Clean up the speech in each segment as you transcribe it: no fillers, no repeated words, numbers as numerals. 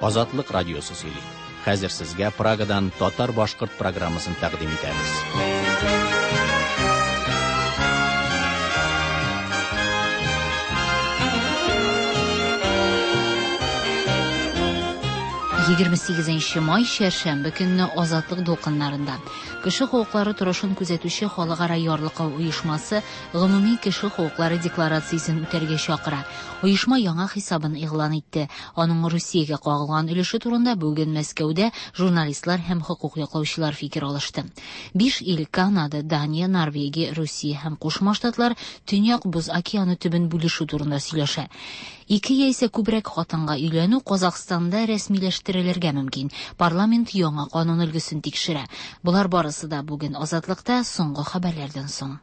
Азатлык радиосы сөйли. Хәзер сезгә Прагадан татар-башкорт программасын тәкъдим итәбез. 28 май чәршәмбе көнне Азатлык дулкыннарында Кеше хокуклары торышын күзәтүче халыкара ярлыкау оешмасы гомуми кеше хокуклары декларациясен үтәргә чакыра. Оешма яңа хисабын игълан итте. Аның Русиягә кагылган өлеше турында бүген Мәскәүдә журналистлар һәм хокук яклаучылар фикер алышты. Биш ил Канада, Дания, Норвегия, Русия һәм Кушма Штатлар Төньяк Боз океаны төбен бүлешү турында сөйләшә. Ике яисә күбрәк хатынга өйләнү Казахстанда рәсмиләштерелергә мөмкин. Парламент яңа канун өлгесен тикшерә. Болар барысы да бүген Азатлыкта соңгы хәбәрләрдән соң.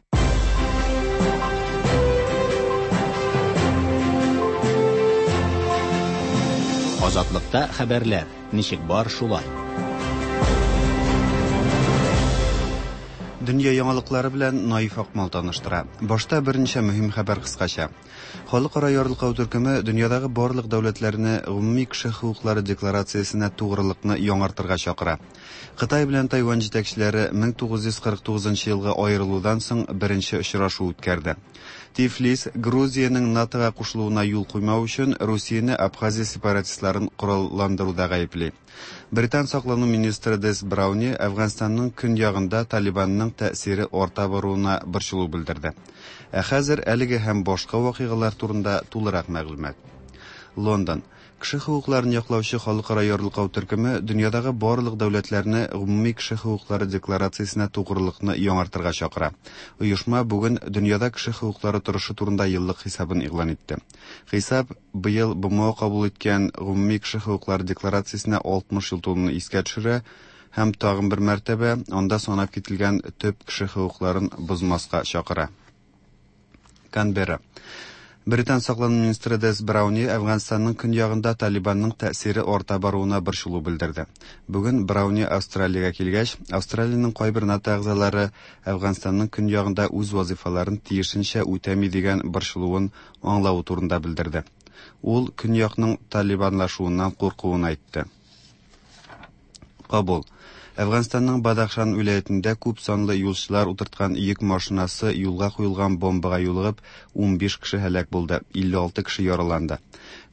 Азатлыкта хәбәрләр ничек бар шулай. Дөнья яңалыклары белән Наиф Акмал таныштыра. Башта берничә мөһим хәбәр кыскача. Халыкара ярлыкау төркеме дөньядагы барлык дәүләтләрне гомуми кеше хокуклары декларациясенә тугрылыкны яңартырга чакыра. Кытай белән Тайвань җитәкчеләре 1949 елгы аерылудан соң беренче очрашу үткәрде. Тифлис Грузиянең НАТОга кушылуына юл куймау өчен Русияне Абхазия сепаратистларын коралландыруда гаепли. Британ саклану министры Дес Брауни Әфганстанның көньягында Талибанның тәэсире арта баруына борчылу белдерде. Ә хәзер әлеге һәм башка вакыйгалар турында тулырак мәгълүмат. Лондон. Кеше хокукларын яклаучы халыкара ярлыкау төркеме дөньядагы барлык дәүләтләрне гомуми кеше хокуклары декларациясенә тугрылыкны яңартырга чакыра. Оешма бүген дөньяда кеше хокуклары торышы турында еллык хисабын игълан итте. Хисап быел БМО кабул иткән гомуми кеше хокуклары декларациясенә 60 ел тулуны искә төшерә һәм тагын бер мәртәбә анда санап кителгән төп кеше хокукларын бозмаска чакыра. Канберра. Британ саклану министры Дес Брауни Әфганстанның көньягында Талибанның тәэсире арта баруына борчылу белдерде. Бүген Брауни Австралиягә килгәч, Австралиянең кайбер НАТО әгъзалары Әфганстанның көньягында үз вазифаларын тиешенчә үтәми дигән борчылуын аңлавы турында белдерде. Ул көньякның талибанлашуыннан куркуын әйтте. Кабул. Әфганстанның Бадахшан вилаятендә күп санлы юлчылар утырткан йөк машинасы юлга куелган бомбага юлыгып, 15 кеше һәлак булды, 56 кеше яраланды.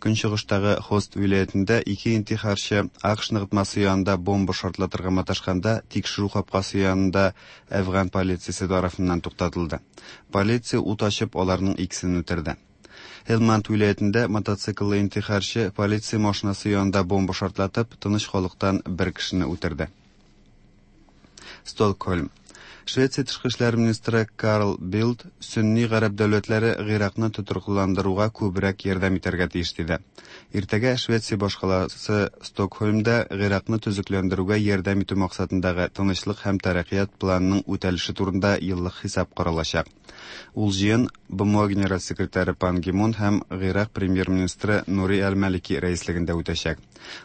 Көнчыгыштагы Хост вилаятендә ике интихарчы АКШ ныгытмасы янында бомба шартлатырга маташканда тикшерү капкасы янында әфган полициясе тарафыннан туктатылды. Полиция ут ачып аларның икесен үтерде. Һелманд вилаятендә мотоцикллы интихарчы полиция машинасы янында бомба шартлатып, тыныч халыктан бер кешене үтерде. Стокһольм. Швеция тышкы эшләр министры Карл Билд сөнни гарәп дәүләтләре Гыйракны тотрыклыландыруга күбрәк ярдәм итәргә тиеш диде. Иртәгә Швеция башкаласы Стокһольмда Гыйракны төзекләндерүгә ярдәм итү максатындагы тынычлык һәм тәрәккыят планының үтәлеше турында еллык хисап каралачак. Ул җыен БМО генераль секретаре Пан Ги Мун һәм Гыйрак премьер-министры Нури әл-Малики рәислегендә үтәчәк.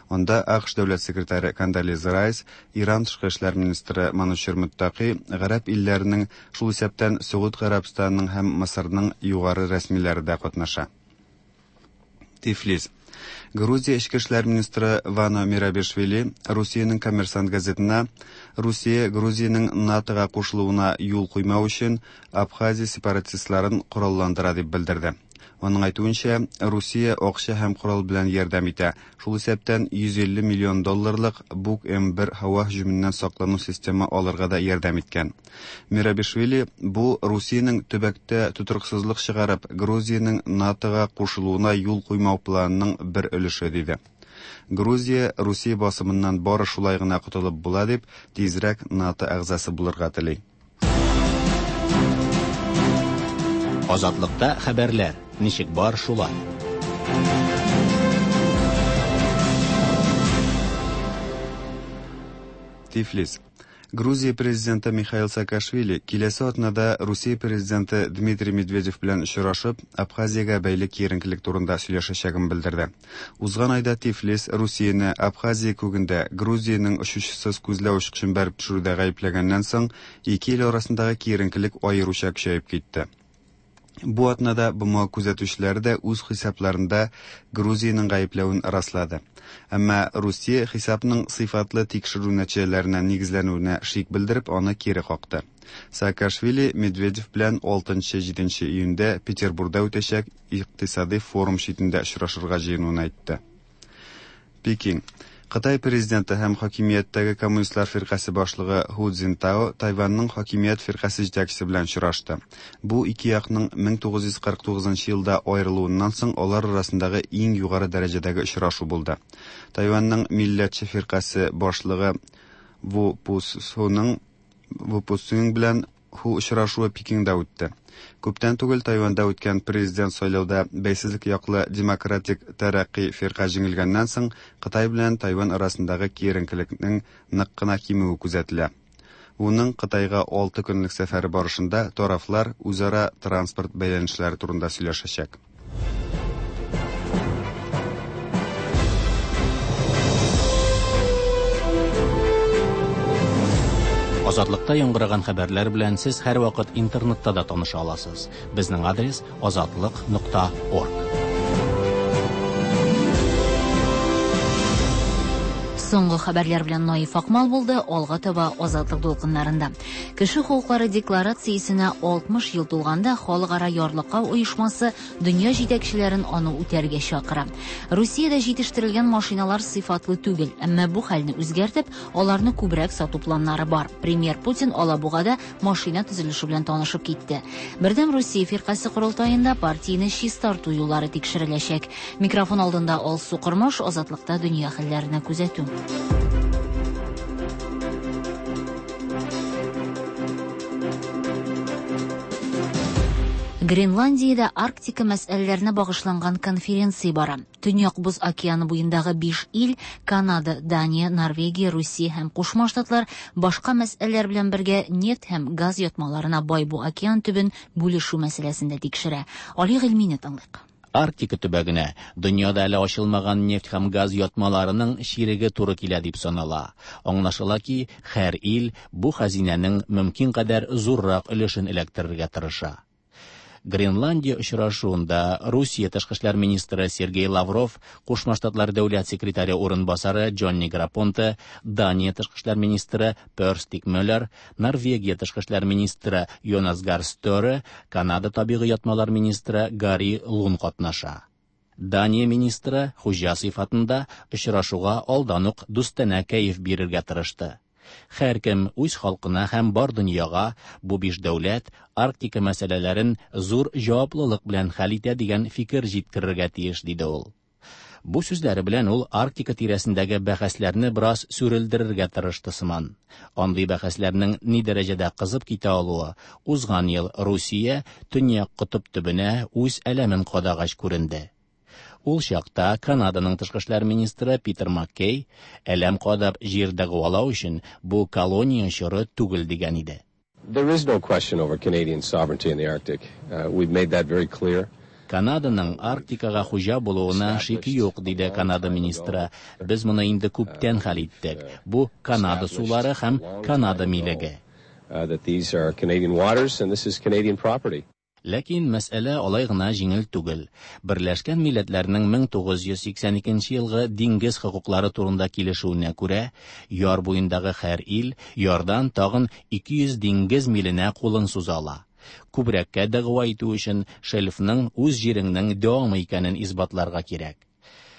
Анда АКШ дәүләт секретаре Кондолиза Райс, Иран тышкы эшләр министры Манучер Мөттаки, гарәп илләренең, шул исәптән Сөгуд Гарәбстанының һәм Мысырның югары рәсмиләре дә катнаша. Тифлис. Грузия эчке эшләр министры Вано Мирабишвили Русиянең Коммерсант газетына Русия Грузиянең НАТОга кушылуына юл куймау өчен Абхазия сепаратистларын коралландыра дип белдерде. Аның әйтүенчә, Русия акча һәм корал белән ярдәм итә, шул исәптән 150 миллион долларлык Бук-М1 һава һөҗүменнән саклану системы алырга да ярдәм иткән. Мирабишвили бу Русиянең төбәктә тотрыксызлык чыгарып, Грузиянең НАТОга кушылуына юл куймау планының бер өлеше диде. Грузия Русия басымыннан бары шулай гына котылып була дип, тизрәк НАТО әгъзасы булырга тели. Азатлыкта хәбәрләр ничек бар шулай. Тифлис. Грузия президенты Михаил Саакашвили киләсе атнада Русия президенты Дмитрий Медведев белән очрашып, Абхазиягә бәйле киеренкелек турында сөйләшәчәген белдерде. Узган айда Тифлис Русияне Абхазия күгендә Грузиянең очучысыз күзләү очкычын бәреп төшерүдә гаепләгәннән соң, ике ил арасындагы киеренкелек аеруча көчәеп китте. Бу атнада БМО күзәтүчеләре дә үз хисапларында Грузиянең гаепләвен раслады. Әмма Русия хисапның сыйфатлы тикшерү нәтиҗәләренә нигезләнүенә шик белдереп, аны кире какты. Саакашвили Медведев белән 6-7 июньдә Петербурда үтәчәк икътисадый форум читендә очрашырга җыенуын әйтте. Пекин. Кытай президенты һәм хакимияттәге коммунистлар фиркасе башлыгы Ху Цзинтао Тайваньның хакимият фиркасе җитәкчесе белән очрашты. Бу ике якның 1949 елда аерылуыннан соң алар арасындагы иң югары дәрәҗәдәге очрашу булды. Тайваньның милләтче фиркасе башлыгы Ву Пусуның Ву Пусуң белән Ху очрашуы Пекинда үтте. Күптән түгел Тайваньда үткән президент сайлауда бәйсезлек яклы Демократик тәрәкъкый фирка җиңелгәннән соң Кытай белән Тайвань арасындагы киеренкелекнең нык кына кимүе күзәтелә. Вуның Кытайга 6 көнлек сәфәре барышында тарафлар үзара транспорт бәйләнешләре турында сөйләшәчәк. Азатлыкта яңгыраган хәбәрләр белән сез һәрвакыт интернетта да таныша аласыз. Безнең адрес азатлык.орг. Соңгы хәбәрләр белән Наиф Акмал булды, алга таба Азатлык дулкыннарында. Кеше хокуклары декларациясенә 60 ел тулганда Халыкара ярлыкау оешмасы дөнья җитәкчеләрен аны үтәргә чакыра. Русиядә җитештерелгән машиналар сыйфатлы түгел, әмма бу хәлне үзгәртеп, аларны күбрәк сату планнары бар. Премьер Путин Алабугада машина төзелеше белән танышып китте. Бердәм Русия фиркасе корылтаенда партияне чистарту юллары тикшереләчәк. Микрофон алдында Алсу Кормаш, Азатлыкта дөнья хәлләренә күзәтү. Гренландиядә Арктика мәсьәләләренә багышланган конференция бара. Төньяк Боз океаны буендагы 5 ил Канада, Дания, Норвегия, Русия һәм Кушма Штатлар башка мәсьәләләр белән бергә нефть һәм газ ятмаларына бай бу океан төбен бүлешү мәсьәләсен дә тикшерә. Али Гыйльмине тыңлыйк. Арктика төбәгенә дөньяда әле ачылмаган нефть һәм газ ятмаларының чиреге туры килә дип санала. Аңлашыла ки, һәр ил бу хәзинәнең мөмкин кадәр зуррак өлешен эләктерергә тырыша. Гренландия очрашуында Русия тышкы эшләр министры Сергей Лавров, Кушма Штатлар дәүләт секретаре урынбасары Джонни Грапонте, Дания тышкы эшләр министры Пер Стиг Мөллер, Норвегия тышкы эшләр министры Йонас Гар Стёре, Канада табигый ятмалар министры Гарри Лун катнаша. Дания министры хуҗа сыйфатында очрашуга алдан ук дустанә кәеф бирергә тырышты. Һәркем үз халкына һәм бар дөньяга бу биш дәүләт Арктика мәсьәләләрен зур җаваплылык белән хәл итә дигән фикер җиткерергә тиеш, диде ул. Бу сүзләре белән ул Арктика тирәсендәге бәхәсләрне бераз сүрелдерергә тырышты сыман. Андый бәхәсләрнең ни дәрәҗәдә кызып китә алуы узган ел Русия Төньяк котып төбенә үз әләмен кадагач күренде. Ул чакта Канаданың тышкы эшләр министры Питер Маккей әләм кадап җир дәгъвалау өчен бу колония чоры түгел дигән иде. There is no question over Canadian sovereignty in the Arctic. We've made that very clear. Канаданың Арктикага хуҗа булуына шик юк, диде Канада министры. Без моны инде күптән хәл иттек. Бу Канада сулары һәм Канада милеге. That these are Canadian waters and this is Canadian property. Ләкин мәсьәлә алай гына җиңел түгел. Берләшкән Милләтләрнең 1982 елгы диңгез хокуклары турында килешүенә күрә, яр буендагы һәр ил ярдан тагын 200 диңгез миленә кулын суза ала. Күбрәккә дәгъва итү өчен шельфның үз җиреңнең дәвамы икәнен исбатларга кирәк.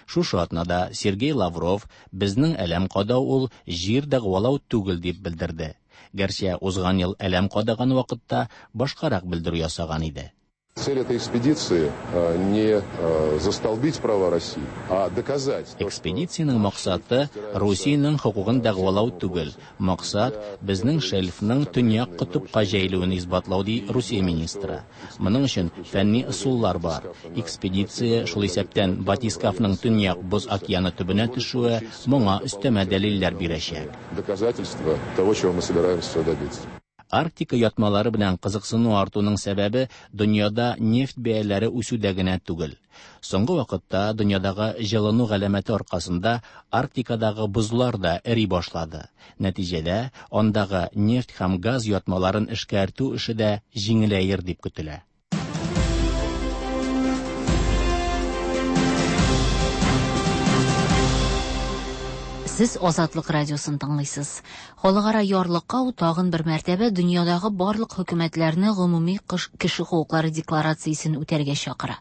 Шушы атнада Сергей Лавров безнең әләм кадау ул җир дәгъвалау түгел дип белдерде. Гәрчә узган ел әләм кадаган вакытта башкарак белдерү ясаган иде. Цель этой экспедиции не застолбить права России, а доказать. Экспедициянең максаты Русиянең хокукын дәгъвалау түгел. Максат безнең шельфның төньяк котыпка җәелүен исбатлау, ди Русия министры. Моның өчен фәнни ысуллар бар. Экспедиция шул исәптән батискафның төньяк боз океаны төбенә төшүе моңа өстәмә дәлилләр бирәчәк. Доказательства того, чего мы собираемся добиться. Арктика ятмалары белән кызыксыну артуның сәбәбе дөньяда нефть бәяләре үсүдә генә түгел. Соңгы вакытта дөньядагы җылыну галәмәте аркасында Арктикадагы бозлар да эри башлады. Нәтиҗәдә андагы нефть һәм газ ятмаларын эшкәртү эше дә җиңеләер дип көтелә. Сез Азатлык радиосын тыңлыйсыз. Халыкара ярлыкау тагын бер мәртәбә дөньядагы барлык хөкүмәтләрне гомуми кеше хокуклары декларациясен үтәргә чакыра.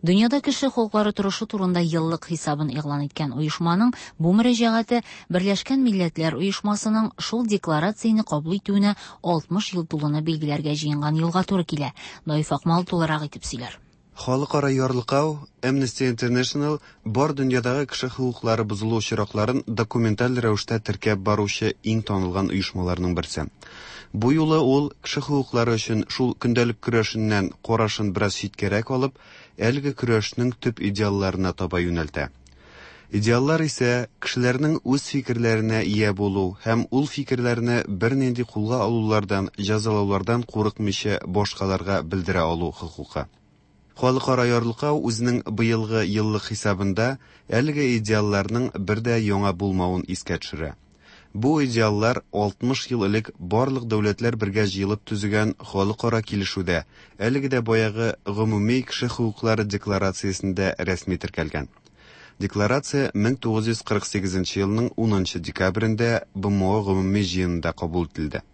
Дөньяда кеше хокуклары торышы турында еллык хисабын игълан иткән оешманың бу мөрәҗәгате Берләшкән Милләтләр Оешмасының шул декларацияне кабул итүенә 60 ел тулуны билгеләргә җыенган елга туры килә. Наиф Акмал тулырак итеп сөйләр. Халыкара ярлыкау, Amnesty International бар дөньядагы кеше хокуклары бозылу очракларын документаль рәвештә теркәп баручы иң танылган оешмаларның берсе. Бу юлы ул кеше хокуклары өчен шул көндәлек көрәшеннән карашын бераз читкәрәк алып, әлеге көрәшнең төп идеалларына таба юнәлтә. Идеаллар исә кешеләрнең үз фикерләренә ия булу һәм ул фикерләрне бернинди кулга алулардан, җәзалаулардан курыкмыйча башкаларга белдерә алу хокукы. Халыкара ярлыкау үзенең быелгы еллык хисабында әлеге идеалларның бер дә яңа булмавын искә төшерә. Бу идеаллар 60 ел элек барлык дәүләтләр бергә җыелып төзегән халыкара килешүдә, әлеге дә баягы гомуми кеше хокуклары декларациясендә рәсми теркәлгән. Декларация 1948 елның 10 декабрендә БМО гомуми җыенында кабул ителде.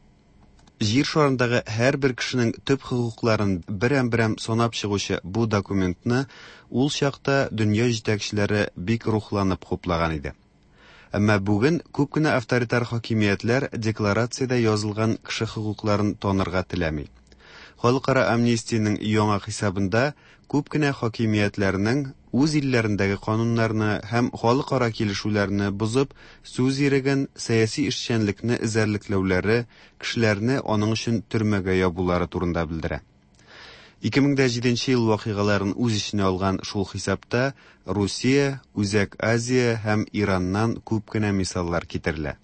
Җир шарындагы һәрбер кешенең төп хокукларын берәм-берәм санап чыгучы бу документны ул чакта дөнья җитәкчеләре бик рухланып хуплаган иде. Әмма бүген күп кенә авторитар хакимиятләр декларациядә язылган кеше хокукларын танырга теләми. Халыкара амнистиянең яңа хисабында күп кенә хакимиятләрнең үз илләрендәге кануннарны һәм халыкара килешүләрне бозып, сүз иреген, сәяси эшчәнлекне эзәрлекләүләре, кешеләрне аның өчен төрмәгә ябулары турында белдерә. 2007 ел вакыйгаларын үз эченә алган шул хисапта Русия, Үзәк Азия һәм Ираннан күп кенә мисаллар китерелә.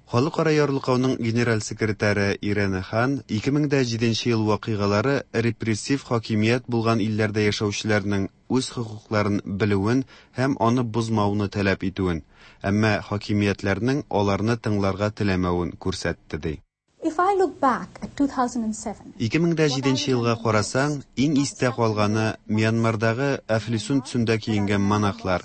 Халыкара ярлыкауның генераль секретаре Ирена Хан 2007 ел вакыйгалары репрессив хакимият булган илләрдә яшәүчеләрнең үз хокукларын белүен һәм аны бозмауны таләп итүен, әмма хакимиятләрнең аларны тыңларга теләмәвен күрсәтте ди. If I look back at 2007, 2007 елга карасаң, иң истә калганы Мьянмардагы әфлисун төсендә киенгән монахлар,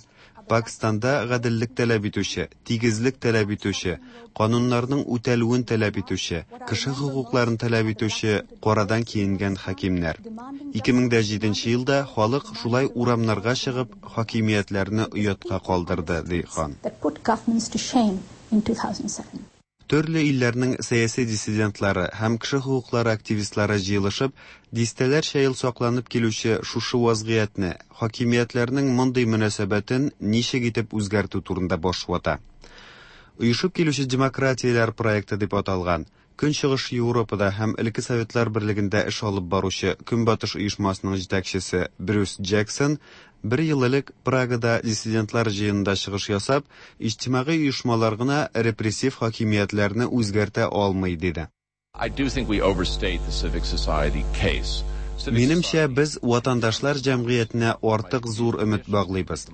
Пакистанда гаделлек таләп итүче, тигезлек таләп итүче, кануннарның үтәлүен таләп итүче, кеше хокукларын таләп итүче карадан киенгән хакимнәр. 2007 елда халык шулай урамнарга чыгып, хакимиятләрне оятка калдырды, ди хан. that put governments to shame in 2007. Төрле илләрнең сәяси диссидентлары һәм кеше хокуклары активистлары җыелышып, дистәләрчә ел сакланып килүче шушы вазгыятьне, хакимиятләрнең мондый мөнәсәбәтен ничек итеп үзгәртү турында баш вата. Оешып килүче демократияләр проекты дип аталган, Көнчыгыш Европада һәм элекке Советлар Берлегендә эш алып баручы Көнбатыш оешмасының җитәкчесе Брюс Джексон бер ел элек Прагада диссидентлар җыенында чыгыш ясап, иҗтимагый оешмалар гына репрессив хакимиятләрне үзгәртә алмый диде. I do think we overstate the civic society case. Civic Минемчә, society- без ватандашлар җәмгыятенә артык зур өмет баглыйбыз.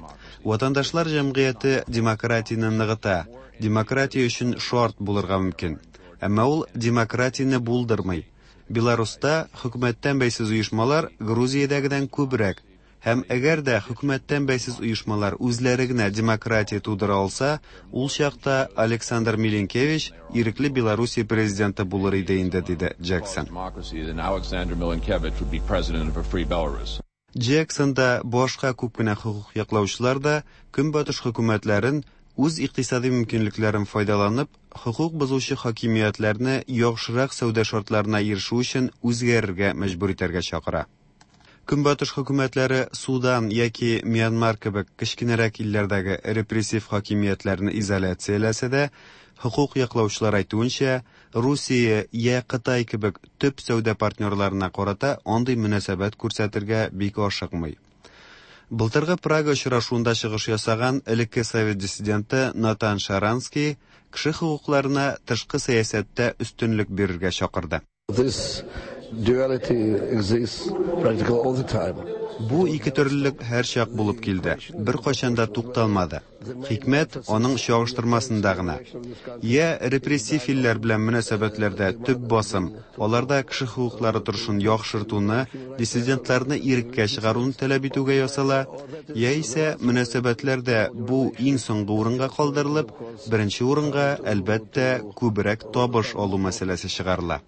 Ватандашлар җәмгыяте демократияне ныгыта, демократия өчен шарт булырга мөмкин. Әмма ул демократияне булдырмый. Беларуста хөкүмәттән бәйсез оешмалар Грузиядәгедән күбрәк. Һәм әгәр дә хөкүмәттән бәйсез оешмалар үзләре генә демократия тудыра алса, ул чакта Александр Миленкевич ирекле Белоруссия президенты булыр иде инде, диде Джексон. Democracy, then Alexander Milinkevich would be president of a free Belarus. Джексон да, башка күп кенә хокук яклаучылар да Көнбатыш хөкүмәтләрен үз икътисади мөмкинлекләрен файдаланып, хокук бозучы хакимиятләрне яхшырак сәүдә шартларына ирешү өчен үзгәрергә мәҗбүр итәргә чакыра. Көнбатыш хөкүмәтләре Судан яки Мьянмар кебек кечкенәрәк илләрдәге репрессив хакимиятләрне изоляцияләсә дә, хокук яклаучылар әйтүенчә, Русия я Кытай кебек төп сәүдә партнерларына карата андый мөнәсәбәт күрсәтергә бик ашыкмый. Былтыргы Прага очрашуында чыгыш ясаган элекке совет диссиденты Натан Шаранский кеше хокукларына тышкы сәясәттә өстенлек бирергә чакырды. This duality exists practically all the time. Бу ике төрлелек һәрчак булып килде. Беркайчан да тукталмады. Хикмәт аның чагыштырмасында гына. Йә репрессив илләр белән мөнәсәбәтләрдә төп басым аларда кеше хокуклары торышын яхшыртуны, диссидентларны иреккә чыгаруны таләп итүгә ясала, яисә мөнәсәбәтләрдә бу иң соңгы урынга калдырылып, беренче урынга, әлбәттә, күбрәк табыш алу мәсьәләсе чыгарыла.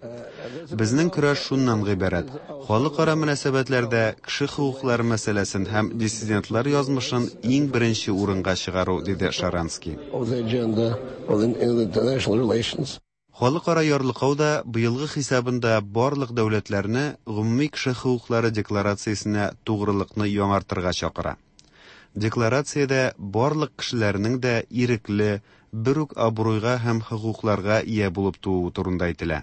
Безнең көрәш шуннан гыйбарәт: халыкара мөнәсәбәтләрдә кеше хокуклары мәсьәләсен һәм диссидентлар язмышын иң беренче урынга чыгару, диде Шаранский. Халыкара ярлыкау да быелгы хисабында барлык дәүләтләрне гомуми кеше хокуклары декларациясенә тугрылыкны яңартырга чакыра. Декларациядә барлык кешеләрнең дә ирекле, бер үк абруйга һәм хокукларга ия булып тууы турында әйтелә.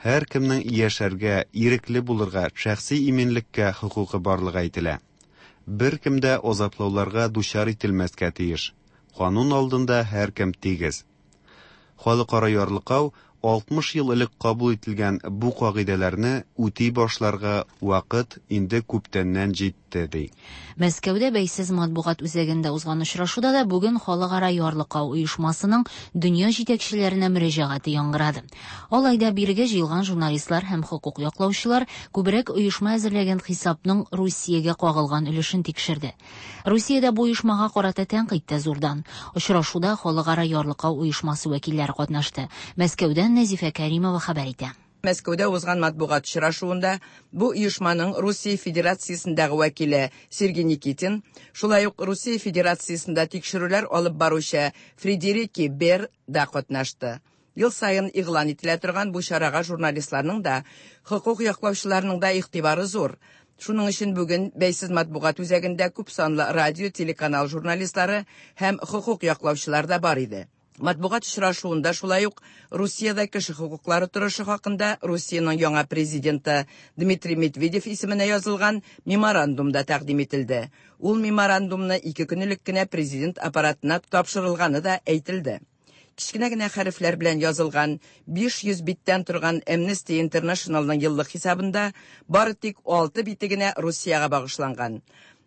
Һәркемнең яшәргә, ирекле булырга, шәхси иминлеккә хокукы барлыгы әйтелә. Беркем дә азаплауларга дучар ителмәскә тиеш. Канун алдында һәркем тигез. Халыкара ярлыкау 60 ел элек кабул ителгән бу кагыйдәләрне үти башларга вакыт инде күптәннән җитте, ди. Мәскәүдә бәйсез матбугат үзәгендә узган очрашуда да бүген Халыкара ярлыкау оешмасының дөнья җитәкчеләренә мөрәҗәгате яңгырады. Алай да бирегә җыелган журналистлар һәм хокук яклаучылар күбрәк оешма әзерләгән хисапның Русиягә кагылган өлешен тикшерде. Русиядә бу оешмага карата тәнкыйть тә зурдан. Очрашуда Халыкара ярлыкау оешмасы вәкилләре катнашты. Мәскәүдән Нәзифә Кәримова хәбәр итә. Мәскәүдә узган матбугат очрашуында бу оешманың Русия Федерациясендәге вәкиле Сергей Никитин, шулай ук Русия Федерациясендә тикшерүләр алып баручы Фредерики Бер да катнашты. Ел саен игълан ителә торган бу чарага журналистларның да, хокук яклаучыларның да игътибары зур. Шуның өчен бүген бәйсез матбугат үзәгендә күп санлы радио, телеканал журналистлары һәм хокук яклаучылар да бар иде. Матбугат очрашуында шулай ук Русиядә кеше хокуклары торышы хакында Русиянең яңа президенты Дмитрий Медведев исеменә язылган меморандум да тәкъдим ителде. Ул меморандумны 2 көн элек кенә президент аппаратына тапшырылганы да әйтелде. Кечкенә генә хәрефләр белән язылган 500 биттән торган Amnesty Internationalның еллык хисабында бары тик 6 бите генә Русиягә багышланган.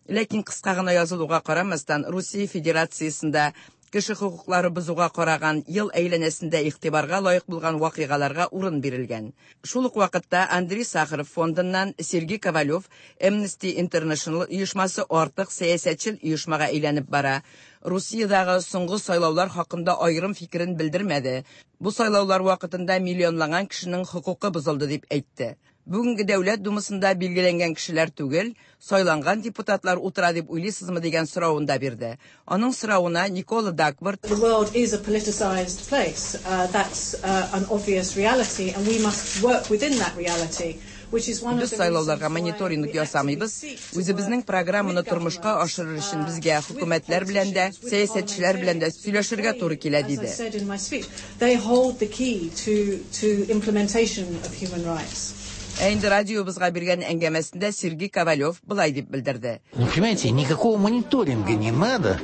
Ләкин кыска гына язылуга карамастан, Русия Федерациясендә кеше хокуклары бозуга караган ел әйләнәсендә игътибарга лаек булган вакыйгаларга урын бирелгән. Шул ук вакытта Андрей Сахаров фондыннан Сергей Ковалев Amnesty International оешмасы артык сәясәтчел оешмага әйләнеп бара. Русиядәге соңгы сайлаулар хакында аерым фикерен белдермәде. Бу сайлаулар вакытында миллионлаган кешенең хокукы бозылды дип әйтте. Бүгенге Дәүләт Думасында билгеләнгән кешеләр түгел, сайланган депутатлар утыра дип уйлыйсызмы дигән соравын да бирде. Аның соравына Никола Дакворт: The world is a politicized place. That's an obvious reality, and we must work within that reality. Без сайлауларга мониторинг ясамыйбыз. Үзебезнең программаны тормышка ашырыр өчен безгә хөкүмәтләр белән дә, сәясәтчеләр белән дә сөйләшергә туры килә, диде. They hold the key to implementation of human rights. Ә инде радиобызга биргән әңгәмәсендә Сергей Ковалев былай дип белдерде. Ну, понимаете, никакого мониторинга не надо,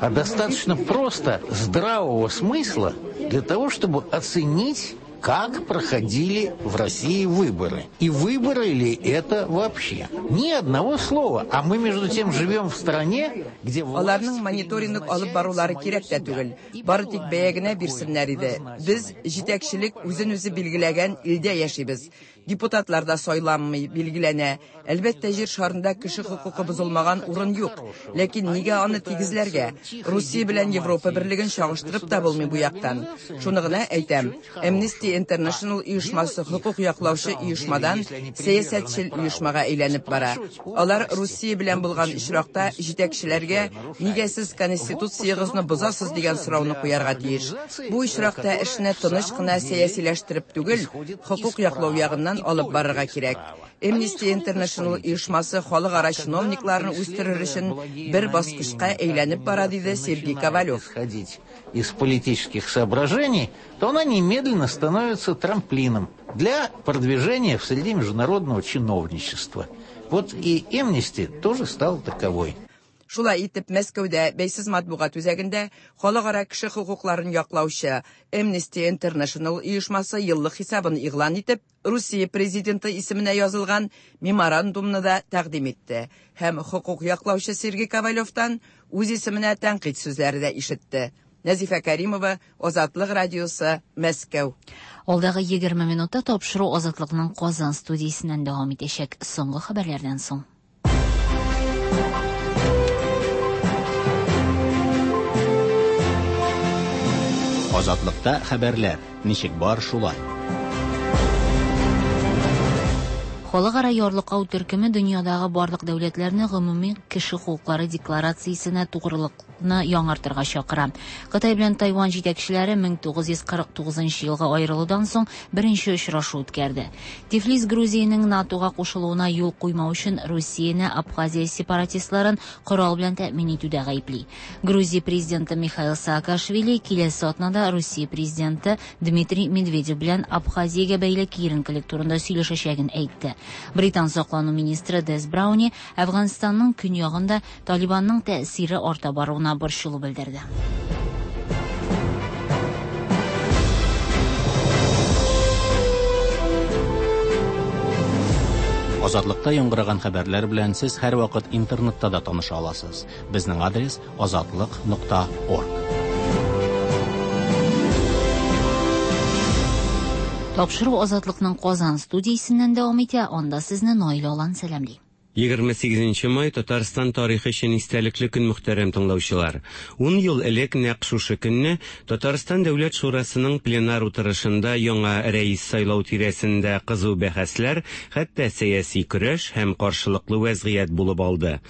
а достаточно просто здравого смысла для того, чтобы оценить, как проходили в России выборы. И выборы ли это вообще? Ни одного слова. А мы, между тем, живем в стране, где власть... Аларның мониторинг алып барулары кирәк тә түгел. Бары тик бәя генә бирсеннәр иде. Без җитәкчелек үзен-үзе билгеләгән илдә яшибез. Депутатлар да сайланмый, билгеләнә. Әлбәттә, җир шарында кеше хокукы бозылмаган урын юк. Ләкин нигә аны тигезләргә? Русия белән Европа берлеген чагыштырып та булмый бу яктан. Шуны гына әйтәм. Amnesty International оешмасы хокук яклаучы оешмадан сәясәтчел оешмага әйләнеп бара. Алар Русия белән булган очракта җитәкчеләргә нигә сез конституциягызны бозасыз дигән сорауны куярга тиеш. Бу очракта эшне тыныч кына сәясиләштереп түгел, хокук яклау ягыннан алып барырга кирәк. Amnesty International оешмасы халыкара чиновникларны үстерер өчен бер баскычка әйләнеп бара, диде Сергей Ковалев. Из политических соображений, то она немедленно становится трамплином для продвижения в среде международного чиновничества. Вот и Amnesty тоже стал таковой. Шулай итеп, Мәскәүдә бәйсез матбугат үзәгендә халыкара кеше хокукларын яклаучы Amnesty International оешмасы еллык хисабын игълан итеп, Русия президенты исеменә язылган меморандумны да тәкъдим итте һәм хокук яклаучы Сергей Ковалевтан үз исеменә тәнкыйть сүзләре дә ишетте. Нәзифә Кәримова, Азатлык радиосы, Мәскәү. Алдагы 20 минутта тапшыру Азатлыкның Казан студиясеннән дәвам итәчәк. Соңгы хәбәрләрдән соң. Азатлыкта хәбәрләр, ничек бар шулай. Халыкара ярлыкау төркеме дөньядагы барлык дәүләтләрне гомуми кеше хокуклары декларациясенә тугрылыкны яңартырга чакыра. Кытай белән Тайвань җитәкчеләре 1949 елгы аерылудан соң беренче очрашу үткәрде. Тифлис Грузиянең НАТОга кушылуына юл куймау өчен Русияне Абхазия сепаратистларын корал белән тәэмин итүдә гаепли. Грузия президенты Михаил Саакашвили киләсе атнада Русия президенты Дмитрий Медведев белән Абхазиягә бәйле киеренкелек турында сөйләшәчәген әйтте. Британ саклану министры Дес Брауни Әфганстанның көньягында Талибанның тәэсире арта баруына борчылу белдерде. Азатлыкта яңгыраган хәбәрләр белән сез һәрвакыт интернетта да таныша аласыз. Безнең адрес азатлык.орг. Тапшыру Азатлыкның Казан студиясеннән дәвам итә. Анда сезне Наилә Алан сәламли. 28 май Татарстан тарихы өчен истәлекле көн, мөхтәрәм тыңлаучылар. 10 ел элек нәкъ шушы көнне Татарстан Дәүләт Шурасының пленар утырышында яңа рәис сайлау тирәсендә кызу бәхәсләр, хәтта сәяси көрәш һәм каршылыклы вәзгыять булып алды.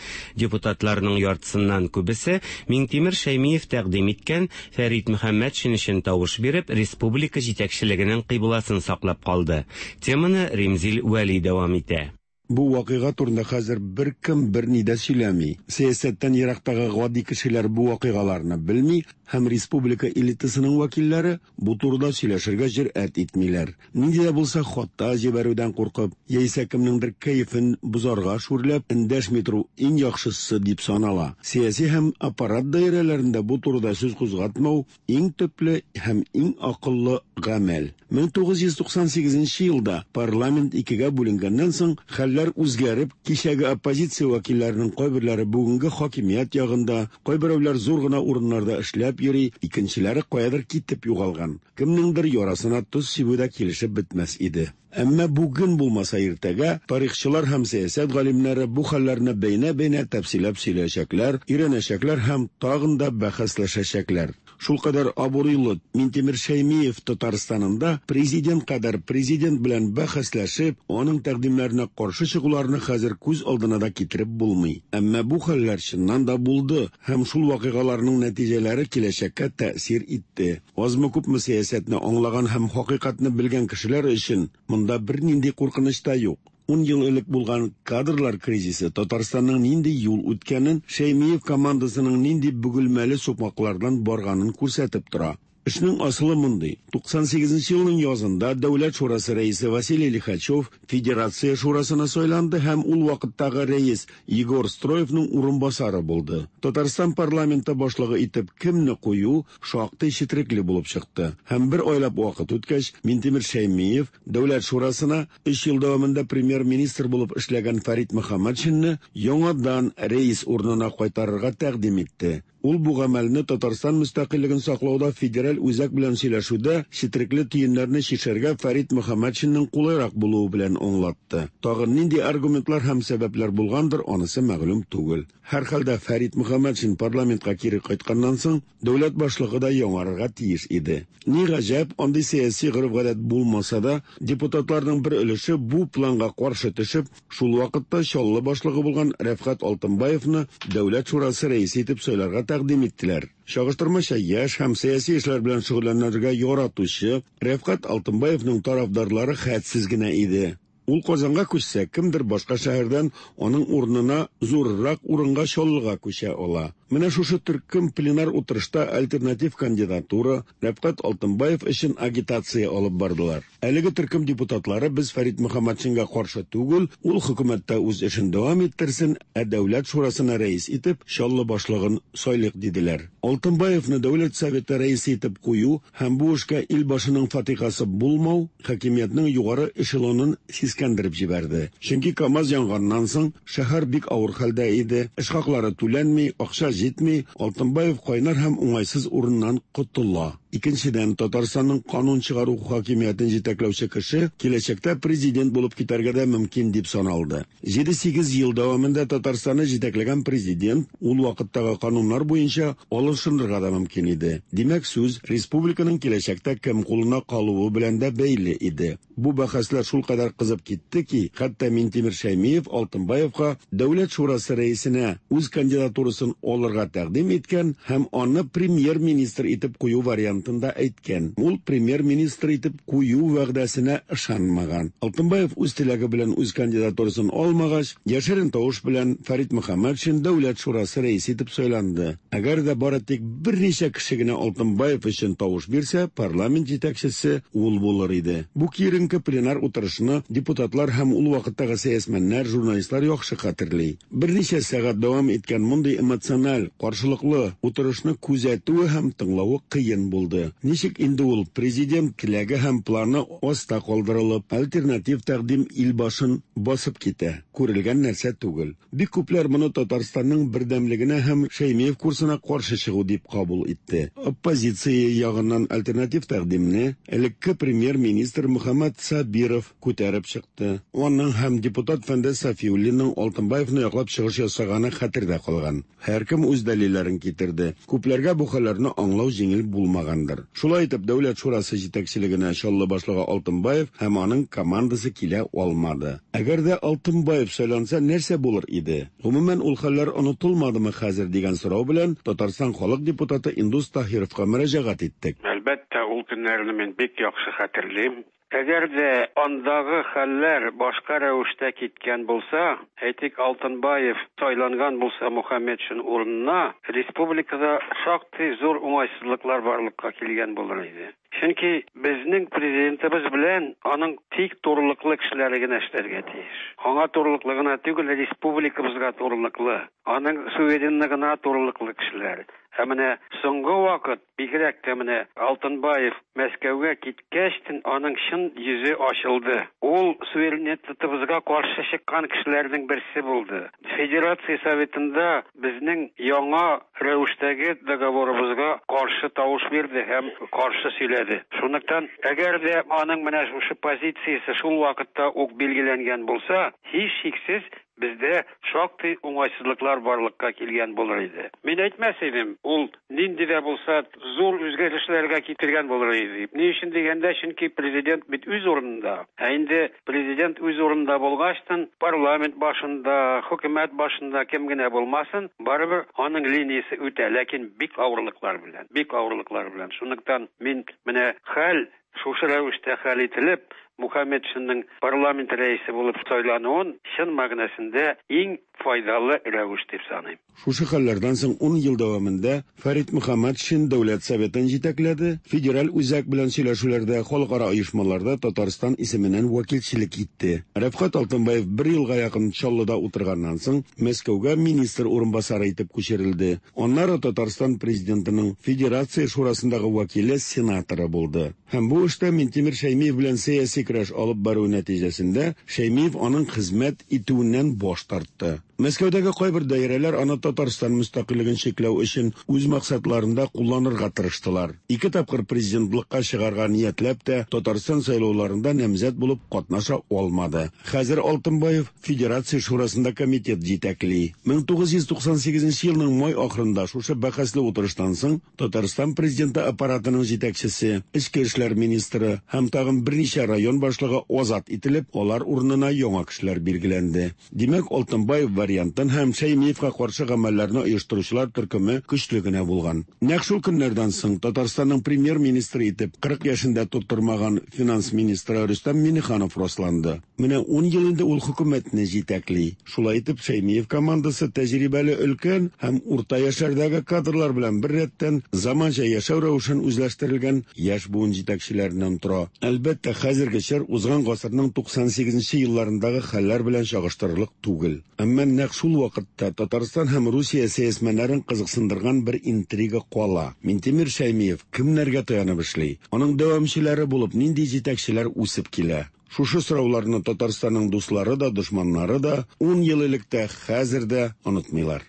Депутатларның яртысыннан күбесе Миңтимер Шәймиев тәкъдим иткән Фәрит Мөхәммәтшин өчен тавыш биреп, республика җитәкчелегенең кыйбласын саклап калды. Теманы Римзил Вәли дәвам итә. Бу вакыйга турында хәзер беркем берни дә сөйләми. Сәясәттән ерактагы гади кешеләр бу вакыйгаларны белми һәм республика элитасының вәкилләре бу турыда сөйләшергә җөрьәт итмиләр. Нинди дә булса хата җибәрүдән куркып, яисә кемнеңдер кәефен бозарга шүрләп, эндәшми тору иң яхшысы дип санала. Сәяси һәм аппарат даирәләрендә бу турыда сүз кузгатмау иң төпле һәм иң акыллы гамәл. 1998 елда парламент икегә бүленгәннән соң хәлләр үзгәреп, кичәге оппозиция вәкилләренең кайберләре бүгенге хакимият ягында, кайберәүләр зур гына урыннарда эшләп йөри, икенчеләре каядыр китеп югалган. Кемнеңдер ярасына тоз сибү дә килешеп бетмәс иде. Әмма бүген булмаса иртәгә тарихчылар һәм сәясәт галимнәре бу хәлләрне бәйнә-бәйнә тәфсилләп сөйләячәкләр, өйрәнәчәкләр һәм тагын да бәхәсләшәчәкләр. Шулкадәр абруйлы Минтимер Шәймиев Татарстанында президент кадәр президент белән бәхәсләшеп, аның тәкъдимнәренә каршы чыгуларны хәзер күз алдына да китереп булмый. Әмма бу хәлләр чыннан да булды һәм шул вакыйгаларның нәтиҗәләре киләчәккә тәэсир итте. Азмы-күпме сәясәтне аңлаган һәм хакыйкатьне белгән кешеләр өчен монда бернинди куркыныч та юк. 10 ел элек булган кадрлар кризисы Татарстанның нинди юл үткәнен, Шәймиев командасының нинди бөгелмәле сукмаклардан барганын күрсәтеп тора. Эшнең асылы мондый. 98 елның язында Дәүләт шурасы рәисе Василий Лихачев Федерация шурасына сайланды һәм ул вакыттагы рәис Егор Строевның урынбасары булды. Татарстан парламенты башлыгы итеп кемне кую шактый четерекле булып чыкты. Һәм бер айлап вакыт үткәч, Минтимер Шәймиев Дәүләт шурасына 3 ел дәвамында премьер-министр булып эшләгән Фәрит Мөхәммәтшинны яңадан рәис урынына кайтарырга тәкъдим итте. Ул бу гамәлне Татарстан мөстәкыйльлеген саклауда федераль үзәк белән сөйләшүдә четерекле төеннәрне чишәргә Фәрит Мөхәммәтшинның кулайрак булуы белән аңлатты. Тагын нинди аргументлар һәм сәбәпләр булгандыр, анысы мәгълүм түгел. Һәрхәлдә Фәрит Мөхәммәтшин парламентка кире кайтканнан соң дәүләт башлыгы да яңарырга тиеш иде. Ни гаҗәп, андый сәяси гореф-гадәт булмаса да, депутатларның бер өлеше бу планга каршы төшеп, шул вакытта Чаллы башлыгы булган Рәфгать Алтынбаевны Дәүләт шурасы рәисе итеп сайларга тәкъдим иттеләр. Чагыштырмача яшь һәм сәяси эшләр белән шөгыльләнергә яратучы Рәфгать Алтынбаевның тарафдарлары хәтсез генә иде. Ул Казанга күчсә, кемдер башка шәһәрдән аның урынына зуррак урынга Чаллыга күчә ала. Менә шушы төркем пленар утырышта альтернатив кандидатура Рәфкать Алтынбаев өчен агитация алып бардылар. Әлеге төркем депутатлары без Фәрит Мөхәммәтшинга каршы түгел, ул хөкүмәттә үз эшен дәвам иттерсен, ә Дәүләт шурасына рәис итеп Чаллы башлыгын сайлыйк диделәр. Алтынбаевны Дәүләт Советы рәисе итеп кую һәм бу эшкә Илбашының фатихасы булмау хакимиятнең югары эшелонын сискәндереп җибәрде. Чөнки КАМАЗ янганнан соң шәһәр бик авыр хәлдә иде, эш хаклары түләнми, акча җитми, Алтынбаев кайнар һәм уңайсыз урыннан котыла. Икенчедән, Татарстанның канун чыгару хакимиятен җитәкләүче кеше киләчәктә президент булып китәргә дә мөмкин дип саналды. 7-8 ел дәвамында Татарстанны җитәкләгән президент ул вакыттагы кануннар буенча алышынырга да мөмкин иде. Димәк, сүз республиканың киләчәктә кем кулына калуы белән дә бәйле иде. Бу бәхәсләр шулкадәр кызып китте ки, хәтта Минтимер Шәймиев Алтынбаевка Дәүләт шурасы рәисенә үз кандидатурасын алырга тәкъдим иткән һәм аны премьер-министр итеп кую вариантын да әйткән. Ул премьер-министр итеп кую вәгъдәсенә ышанмаган. Алтынбаев үз теләге белән үз кандидатурасын алмагач, яшерен тавыш белән Фәрит Мөхәммәтшин Дәүләт шурасы рәисе итеп сайланды. Әгәр дә бары тик берничә кеше генә Алтынбаев өчен тавыш бирсә, парламент җитәкчесе ул булыр иде. Бу киеренке пленар утырышны депутатлар һәм ул вакыттагы сәясмәннәр, журналистлар яхшы хәтерли. Берничә сәгать дәвам иткән мондый эмоциональ, каршылыклы утырышны күзәтүе һәм тыңлавы кыен булды. Ничек инде ул президент теләге һәм планы аста калдырылып, альтернатив тәкъдим илбашын басып китә? Күрелгән нәрсә түгел. Бик күпләр моны Татарстанның бердәмлегенә һәм Шәймиев курсына каршы чыгу дип кабул итте. Оппозиция ягыннан альтернатив тәкъдимне элекке премьер-министр Мөхәммәт Сабиров күтәреп чыкты. Аның һәм депутат Фәндәс Сафиуллинның Алтынбаевны яклап чыгыш ясаганы хәтердә калган. Һәркем үз дәлилләрен китерде. Күпләргә бу хәлләрне аңлау җиңел булмагандыр. Шулай итеп, Дәүләт шурасы җитәкчелегенә Чаллы башлыгы Алтынбаев һәм аның командасы килә алмады. Әгәр дә Алтынбаев сайланса, нәрсә булыр иде? Гомумән, ул хәлләр онытылмадымы хәзер дигән сорау белән Татарстан халык депутаты Индус Таһировка мөрәҗәгать иттек. Әлбәттә, ул көннәрне мин бик яхшы хәтерлим. Әгәр дә андагы хәлләр башка рәвештә киткән булса, әйтик, Алтынбаев сайланган булса Мухаметшин урынына, республикада шактый зур уңайсызлыклар барлыкка килгән булыр иде. Чөнки безнең президентыбыз белән аның тик турылыклы кешеләре генә эшләргә тиеш. Аңа турылыклы гына түгел, республикабызга турылыклы, аның суверенлыгына турылыклы кешеләр. Ә менә соңгы вакыт, бигрәк тә менә Алтынбаев Мәскәүгә киткәчтен аның чын йөзе ачылды. Ул суверенитетыбызга каршы чыккан кешеләрнең берсе булды. Федерация Советында безнең яңа рәвештәге договорыбызга каршы тавыш бирде һәм каршы сөйләде. Шунлыктан, әгәр дә аның менә шушы позициясе шул вакытта ук билгеләнгән булса, һичшиксез бездә шактый уңайсызлыклар барлыкка килгән булыр иде. Мин әйтмәс идем, ул нинди дә булса зур үзгәрешләргә китергән булыр иде дип. Ни өчен дигәндә, чөнки президент бит үз урынында. Ә инде президент үз урынында булгачтын, парламент башында, хөкүмәт башында кем генә булмасын, барыбер аның линиясе үтә, ләкин бик авырлыклар белән, бик авырлыклар белән. Шунлыктан мин менә хәл шушы рәвештә хәл ителеп, Мухаметшинның парламент рәисе булып сайлануын чын мәгънәсендә иң файдалы рәвеш дип саныйм. Шушы хәлләрдән соң ун ел дәвамында Фәрит Мөхәммәтшин Дәүләт Советын җитәкләде, федераль үзәк белән сөйләшүләрдә, халыкара оешмаларда Татарстан исеменнән вәкилчелек итте. Рәфкать Алтынбаев бер елга якын Чаллыда утырганнан соң, Мәскәүгә министр урынбасары итеп күчерелде. Аннары Татарстан Президентының Федерация Шурасындагы вәкиле, сенаторы булды. Һәм бу эштә Минтимер Шәймиев белән сәяси көрәш алып бару нәтиҗәсендә Шәймиев аның хезмәт итүеннән баш тартты. Мәскәүдәге кайбер даирәләр аны Татарстан мөстәкыйльлеген чикләү өчен үз максатларында кулланырга тырыштылар. Ике тапкыр президентлыкка чыгарга ниятләп тә Татарстан сайлауларында намзәт булып катнаша алмады. Хәзер Алтынбаев Федерация Шурасында комитет җитәкли. 1998 елның май ахырында шушы бәхәсле утырыштан соң Татарстан Президенты аппаратының җитәкчесе, эчке эшләр министры һәм тагын берничә район башлыгы азат ителеп, алар урынына яңа кешеләр билгеләнде. Димәк, Алтынбаев варианты вариантын һәм Шәймиевка каршы гамәлләрне оештыручылар төркеме көчле генә булган. Нәкъ шул көннәрдән соң Татарстанның премьер-министры итеп 40 яшен дә тутырмаган финанс министры Рөстәм Миңнеханов расланды. Менә ун ел инде ул хөкүмәтне җитәкли. Шулай итеп, Шәймиев командасы тәҗрибәле өлкән һәм урта яшьләрдәге кадрлар белән беррәттән заманча яшәү рәвешен үзләштерелгән яшь буын җитәкчеләреннән тора. Әлбәттә, хәзерге чор узган гасырның 98 нче елларындагы хәлләр белән чагыштырырлык түгел. Әмма нәкъ шул вакытта Татарстан һәм Русия сәясмәннәрен кызыксындырган бер интрига кала, Минтимер Шәймиев кемнәргә таянып эшли? Аның дәвамчылары булып нинди җитәкчеләр үсеп килә? Шушы сорауларны Татарстанның дуслары да, дошманнары да ун ел элек тә, хәзер дә онытмыйлар.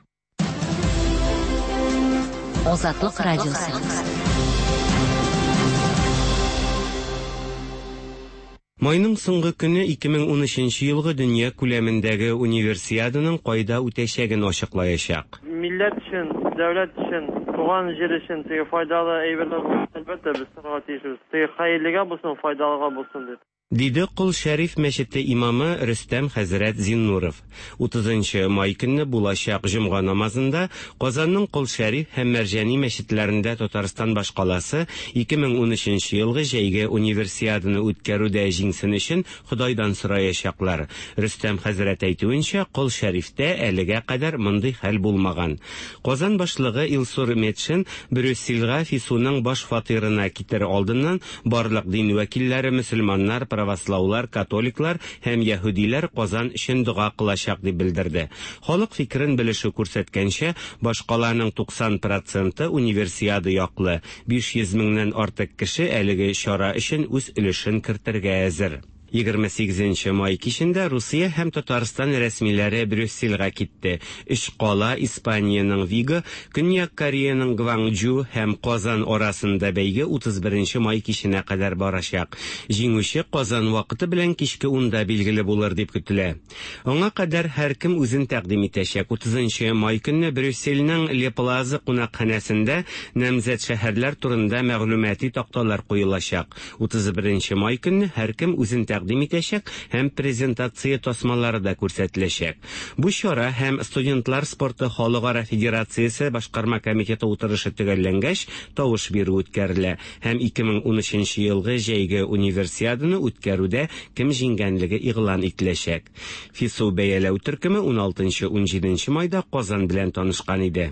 Азатлык радиосы. Майның соңгы көне 2013 елгы дөнья күләмендәге Универсиаданың кайда үтәчәген ачыклаячак. Милләт өчен, дәүләт өчен, туган җир өчен теге файдалы әйберләр булса, әлбәттә, без торырга тиешбез. Теге хәерлегә булсын, файдалыга булсын дип. Диде Кол Шәриф мәчете имамы Рөстәм хәзрәт Зиннуров. Утызынчы май көнне булачак җомга намазында Казанның Кол Шәриф һәм Мәрҗани мәчетләрендә Татарстан башкаласы 2013 елгы җәйге Универсиаданы үткәрүдә җиңсен өчен Ходайдан сораячаклар. Рөстәм хәзрәт әйтүенчә, Кол Шәрифтә әлегә кадәр мондый хәл булмаган. Казан башлыгы Илсур Метшин Брюссельга ФИСУның баш фатирына китер алдыннан барлык дин вәкилләре, мөселманнар, правослаулар, католиклар һәм яһүдиләр Казан өчен дога кылачак дип белдерде. Халык фикерен белешү күрсәткәнчә, башкаланың 90 проценты Универсиада яклы, 500 меңнән артык кеше әлеге чара өчен үз өлешен кертергә әзер. 28 нче май кичендә Русия һәм Татарстан рәсмиләре Брюссельгә китте. Өч кала, Испаниянең Виго, Көньяк Кореяның Гвангчжу һәм Казан арасында бәйге 31 нче май киченә кадәр барачак. Җиңүче Казан вакыты белән кичке унда билгеле булыр дип көтелә. Аңа кадәр һәркем үзен тәкъдим итәчәк. 30 нчы май көнне Брюссельнең Ле Плаза кунакханәсендә намзәт шәһәрләр турында мәгълүмати такталар куелачак. 31 нче май көнне һәркем үзен тәкъдим итәчәк һәм презентация тасмалары да күрсәтеләчәк. Бу чара һәм Студентлар спорты халыкара федерациясе башкарма комитеты утырышы төгәлләнгәч, тавыш бирү үткәрелә һәм 2013 нче елгы җәйге Универсиаданы үткәрүдә кем җиңгәнлеге игълан ителәчәк. ФИСУ бәяләү төркеме уналтынчы-унҗиденче майда Казан белән танышкан иде.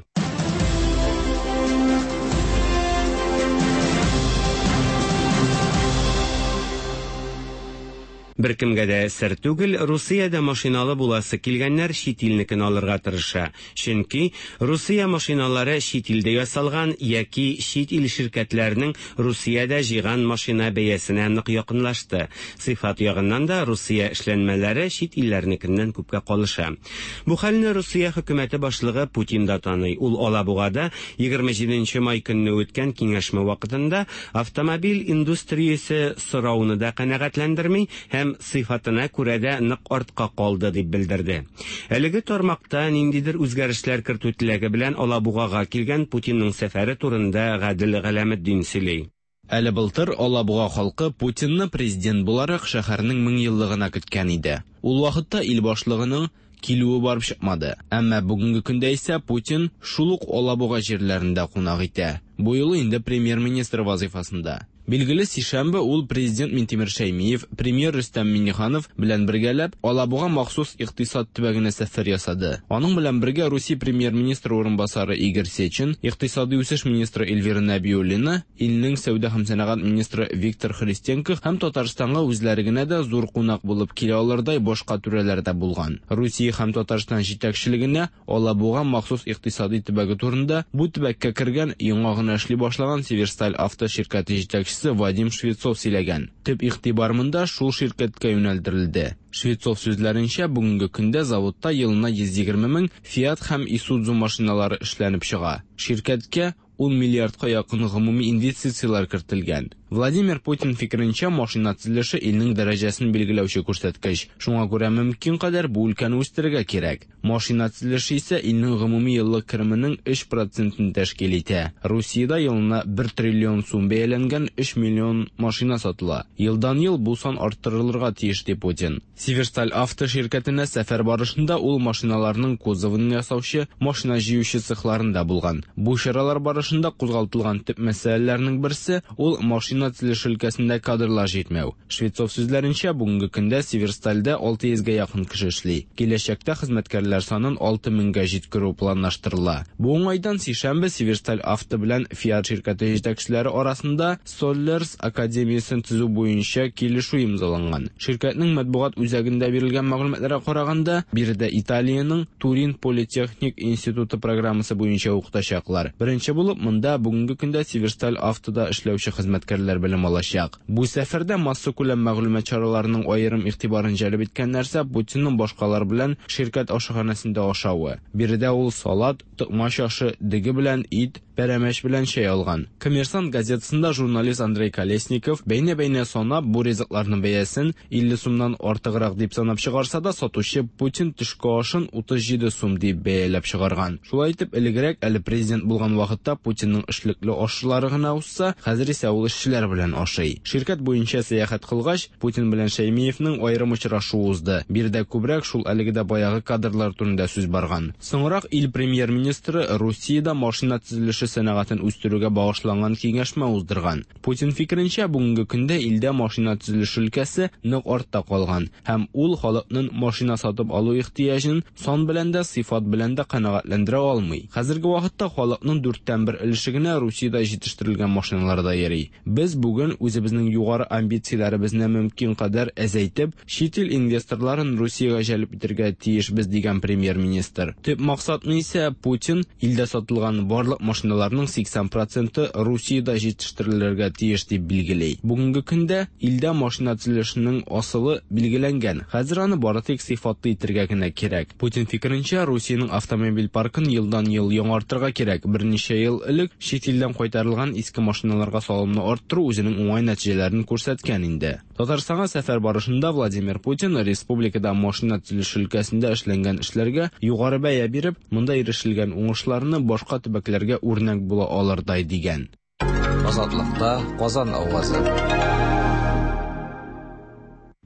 Беркемгә дә сер түгел, Русиядә машиналы буласы килгәннәр чит илнекен алырга тырыша. Чөнки Русия машиналары чит илдә ясалган яки чит ил ширкәтләренең Русиядә җыйган машина бәясенә нык якынлашты. Сыйфат ягыннан да Русия эшләнмәләре чит илләрнекеннән күпкә калыша. Бу хәлне Русия хөкүмәте башлыгы Путин да таный. Ул Алабугада 27 нче май көнне үткән киңәшмә вакытында автомобиль индустриясе сорауны да канәгатьләндерми һәм сыйфатына күрә дә нык артка калды, дип белдерде. Әлеге тармакта ниндидер үзгәрешләр кертү теләге белән Алабугага килгән Путинның сәфәре турында Гадел Галәметдин сөйли. Әле былтыр Алабуга халкы Путинны президент буларак шәһәрнең меңьеллыгына көткән иде. Ул вакытта ил башлыгының килүе барып чыкмады. Әмма бүгенге көндә исә Путин шул ук Алабуга җирләрендә кунак итә. Бу юлы инде премьер-министр вазыйфасында. Билгеле, сишәмбе ул президент Минтимер Шәймиев, премьер Рөстәм Миңнеханов белән бергәләп Алабуга махсус икътисад төбәгенә сәфәр ясады. Аның белән бергә Русия премьер-министры урынбасары Игорь Сечин, икътисадый үсеш министры Эльвира Нәбиуллина, илнең сәүдә һәм сәнәгать министры Виктор Христенко һәм Татарстанга үзләре генә дә зур кунак булып килә алырдай башка түрәләр дә булган. Русия һәм Татарстан җитәкчелегенә Алабуга махсус икътисадый төбәге турында бу төбәккә кергән, яңа гына эшли башлаган Северсталь-Авто ширкәте җитәкчесе Вадим Швецов сөйләгән. Төп игътибар монда шул ширкәткә юнәлдерелде. Швецов сүзләренчә, бүгенге көндә заводта елына 120 мең Fiat һәм Isuzu машиналары эшләнеп чыга. Ширкәткә ун миллиардка якын гомуми инвестицияләр кертелгән. Владимир Путин фикеренчә, машина төзелеше илнең дәрәҗәсен билгеләүче күрсәткеч. Шуңа күрә мөмкин кадәр бу өлкәне үстерергә кирәк. Машина төзелеше исә илнең гомуми еллык кеременең 3 процентын тәшкил итә. Русиядә елына 1 триллион сум бәяләнгән 3 миллион машина сатыла. Елдан-ел бу сан арттырылырга тиеш, ди Путин. Северсталь Авто ширкәтенә сәфәр барышында ул машиналарның кузовын ясаучы, машина җыючы цехларында булган. Бу чаралар барышында кузгалтылган төп мәсьәләләрнең берсе, ул машина төзелеше өлкәсендә кадрлар җитмәү. Швецов сүзләренчә, бүгенге көндә Северстальдә 600 гә якын кеше эшли. Киләчәктә хезмәткәрләр санын 6000 гә җиткерү планлаштырыла. Бу уңайдан сишәмбе Северсталь Авто белән Фиат ширкәте җитәкчеләре арасында Соллерс академиясен төзү буенча килешү имзаланган. Ширкәтнең матбугат үзәгендә бирелгән мәгълүматларга караганда, биредә Италиянең Турин политехник институты программасы буенча укытачаклар. Беренче булып монда бүгенге көндә Северсталь Автода эшләүче хезмәткәрләр белем алачак. Бу сәфәрдә массакүләм мәгълүмат чараларының аерым игътибарын җәлеп иткән нәрсә Путинның башкалар белән ширкәт ашханәсендә ашавы. Биредә ул салат, токмач ашы, дөге белән ит, пәрәмәч белән чәй алган. Коммерсант газетасында журналист Андрей Колесников бәйнә-бәйнә санап, бу ризыкларның бәясен 50 сумнан артыграк дип санап чыгарса да, сатучы Путин төшке ашын 37 сум дип бәяләп чыгарган. Шулай итеп, элегрәк, әле президент булган вакытта Путинның эшлекле ашчылары гына узса, хәзер исә ул эшчеләр белән ашый. Ширкәт буенча сәяхәт кылгач, Путин белән Шәймиевнең аерым очрашуы узды. Биредә күбрәк шул әлеге дә баягы кадрлар турында сүз барган. Соңрак ил премьер-министры Русиядә машина төзелеше сәнәгатен үстерүгә багышланган киңәшмә уздырган. Путин фикеренчә, бүгенге көндә илдә машина төзелеше өлкәсе нык артта калган һәм ул халыкның машина сатып алу ихтыяҗын сан белән дә, сыйфат белән дә канәгатьләндерә алмый. Хәзерге вакытта халыкның дүрттән бер өлеше генә Русиядә җитештерелгән машиналарда йөри. Без бүген үзебезнең югары амбицияләребезне мөмкин кадәр әзәйтеп, чит ил инвесторларын Русиягә җәлеп итәргә тиешбез, дигән премьер-министр. Төп максатны исә Путин илдә сатылган барлык машиналарның 80 проценты Русиядә җитештерелергә тиеш дип билгели. Бүгенге көндә илдә машина төзелешенең асылы билгеләнгән, хәзер аны бары тик сыйфатлы итергә генә кирәк. Путин фикеренчә, Русиянең автомобиль паркын елдан-ел яңартырга кирәк. Берничә ел элек чит илдән кайтарылган иске машиналарга салымны арттыру үзенең уңай нәтиҗәләрен күрсәткән инде. Татарстанга сәфәр барышында Владимир Путин республикада машина төзелеше өлкәсендә эшләнгән эшләргә югары бәя биреп, монда ирешелгән уңышларны башка төбәкләргә үрнәк була алырдай дигән. Азатлыкта Казан авазы.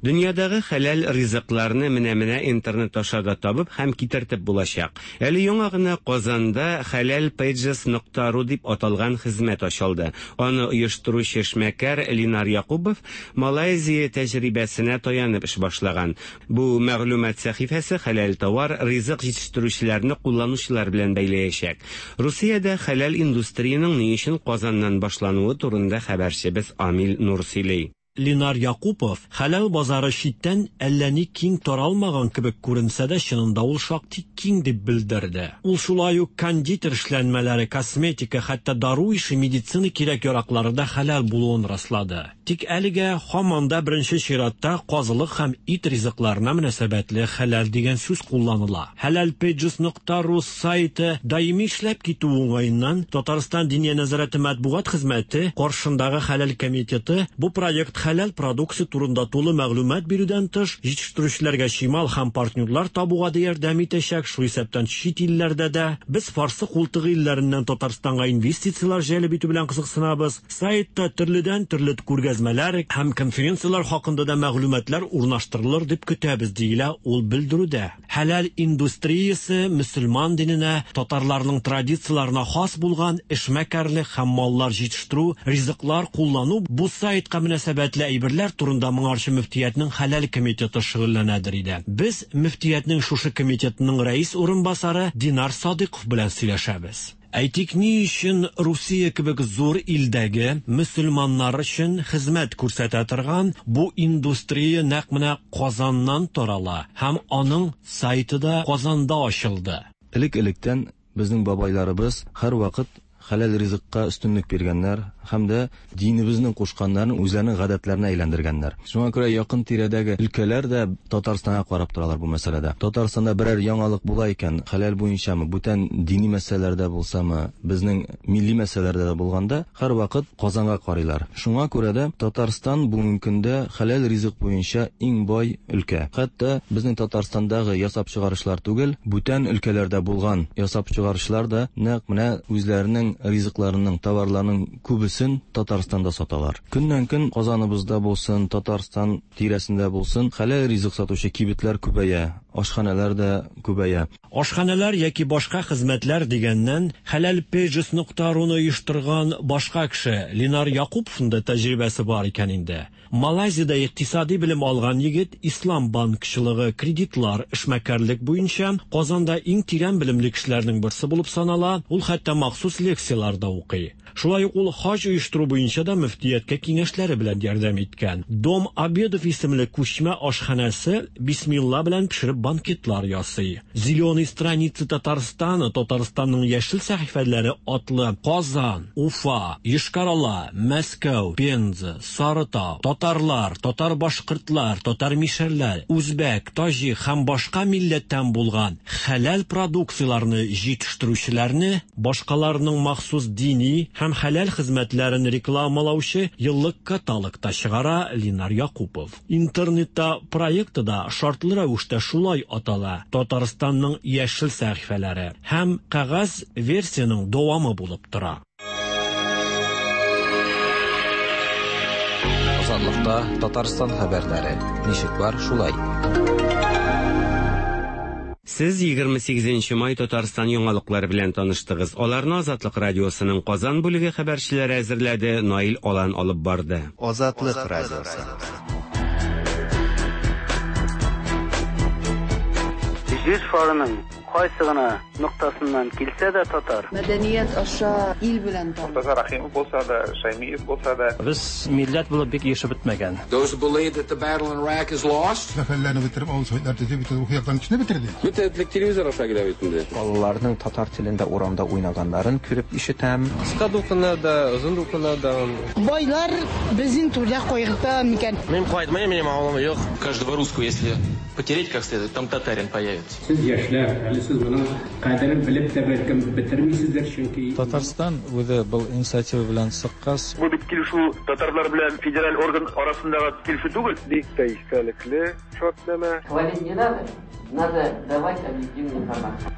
Дөньядагы хәләл ризыкларны менә-менә интернет аша да табып һәм китертеп булачак. Әле яңа гына Казанда Хәләл Pages нокта ру дип аталган хезмәт ачылды. Аны оештыручы эшмәкәр Линар Якубов Малайзия тәҗрибәсенә таянып эш башлаган. Бу мәгълүмат сәхифәсе хәләл товар, ризык җитештерүчеләрне кулланучылар белән бәйләячәк. Русиядә хәләл индустриянең ни өчен Казаннан башлануы турында хәбәрчебез Амил Нур сөйли. Линар Якупов, хәләл базары читтән әллә ни киң таралмаган кебек күренсә дә, чынында ул шактый киң дип белдерде. Ул шулай ук кондитер эшләнмәләре, косметика, хәтта дару ише медицина кирәк-яраклары да хәләл булуын раслады. Тик әлегә һаман да беренче чиратта казылык һәм ит ризыкларына мөнәсәбәтле хәләл дигән сүз кулланыла. Хәләл Pages нокта ру сайты даими эшләп китү уңаеннан Татарстан Диния нәзарәте матбугат хезмәте каршындагы Хәләл комитеты бу проект хәләл продукция турында тулы мәгълүмат бирүдән тыш, җитештерүчеләргә чимал һәм партнерлар табуга да ярдәм итәчәк, шул исәптән чит илләрдә дә. Без Фарсы култыгы илләреннән Татарстанга инвестицияләр җәлеп итү белән кызыксынабыз. Сайтта төрледән-төрле күргәзмәләр һәм конференцияләр хакында да мәгълүматлар урнаштырылыр дип көтәбез, диелә ул белдерүдә. Хәләл индустриясе мөселман диненә, татарларның традицияләренә хас булган эшмәкәрлек һәм маллар җитештерү, ризыклар куллану бу сайтка мөнәсәбәтле әйберләр турында моңарчы мөфтиятнең хәләл комитеты шөгыльләнәдер иде. Без мөфтиятнең шушы комитетының рәис урынбасары Динар Садыйков белән сөйләшәбез. Әйтик, ни өчен Русия кебек зур илдәге мөселманнар өчен хезмәт күрсәтә торган бу индустрия нәкъ менә Казаннан тарала һәм аның сайты да Казанда ачылды? Элек-электән безнең бабайларыбыз һәрвакыт Хәләл ризыкка өстенлек биргәннәр һәм дә динебезнең кушканнарын үзләренең гадәтләренә әйләндергәннәр. Шуңа күрә якын тирәдәге өлкәләр дә Татарстанга карап торалар бу мәсьәләдә. Татарстанда берәр яңалык була икән, хәләл буенчамы, бүтән дини мәсьәләләрдә булсамы, безнең милли мәсьәләләрдә дә булганда, һәрвакыт Казанга карыйлар. Шуңа күрә дә Татарстан бүгенге көндә хәләл ризык буенча иң бай өлкә. Хәтта безнең Татарстандагы ясап чыгаручылар түгел, бүтән өлкәләрдә булган ясап чыгаручылар да нәкъ менә үзләренең ризыкларының, товарларының күбесен Татарстанда саталар. Көннән-көн Казаныбызда булсын, Татарстан тирәсендә булсын, хәләл ризык сатучы кибетләр күбәя, ашханәләр дә күбәя. Ашханәләр яки башка хезмәтләр дигәннән, хәләлpages нокта руны оештырган башка кеше, Ленар Якуповның да тәҗрибәсе бар икән инде. Малайзиядә икътисади белем алган егет ислам банкчылыгы, кредитлар, эшмәкәрлек буенча Казанда иң тирән белемле кешеләрнең берсе булып санала, ул хәтта махсус лекцияләр дә укый. Шулай ук ул хаҗ оештыру буенча да мөфтияткә киңәшләре белән ярдәм иткән. Дом обедов исемле күчмә ашханәсе бисмилла белән пешереп банкетлар ясый. Зеленые страницы Татарстана, Татарстанның яшел сәхифәләре атлы Казан, Уфа, Йошкар-Ола, Мәскәү, Пенза, Сарытау, татарлар, татар-башкортлар, татар-мишәрләр, үзбәк, таҗик һәм башка милләттән булган хәләл продукцияләрне җитештерүчеләрне, башкаларның махсус дини һәм хәләл хезмәтләрен рекламалаучы еллык каталог та чыгара Линар Якупов. Интернетта проекты да шартлы рәвештә шулай атала, Татарстанның яшел сәхифәләре һәм кәгазь версиянең дәвамы булып тора. Азатлыкта Татарстан хәбәрләре. Ничек бар, шулай. Сез 28 нче май Татарстан яңалыклары белән таныштыгыз. Аларны Азатлык радиосының Казан бүлеге хәбәрчеләре әзерләде, Наил Алан алып барды. Азатлык радиосы. Җир шарының кайсы гына ноктасыннан килсә дә татар. Мәдәният аша ил белән таныш. Мортаза Рәхимов булса да, Шәймиев булса да. Без милләт булып бик ирешеп бетмәгән. Those who believe that the battle in Iraq is lost. Сәфәрләрне бетереп, авыл советлар төзеп, бөтен рухи яктан көчне бетерде. Бөтен этлек телевизор аша килә бит инде. Балаларның татар телендә урамда уйнаганнарын күреп ишетәм. Кыска дулкыннар да, озын дулкыннар да. Байлар безнең турда кайгырта микән? Мин кайтмыйм, минем авылым юк. Каждого русского, если потереть как следует, там татарин появится. Сез яшьләр, әле сез моның кадерен белеп тә бәлкем бетермисездер, чөнки Татарстан үзе был инициатива белән чыккач. Бу бит килешү татарлар белән федераль орган арасындагы килешү түгел. Бик тә истәлекле шартнамә. Хвалить не надо, надо давать объективную информацию.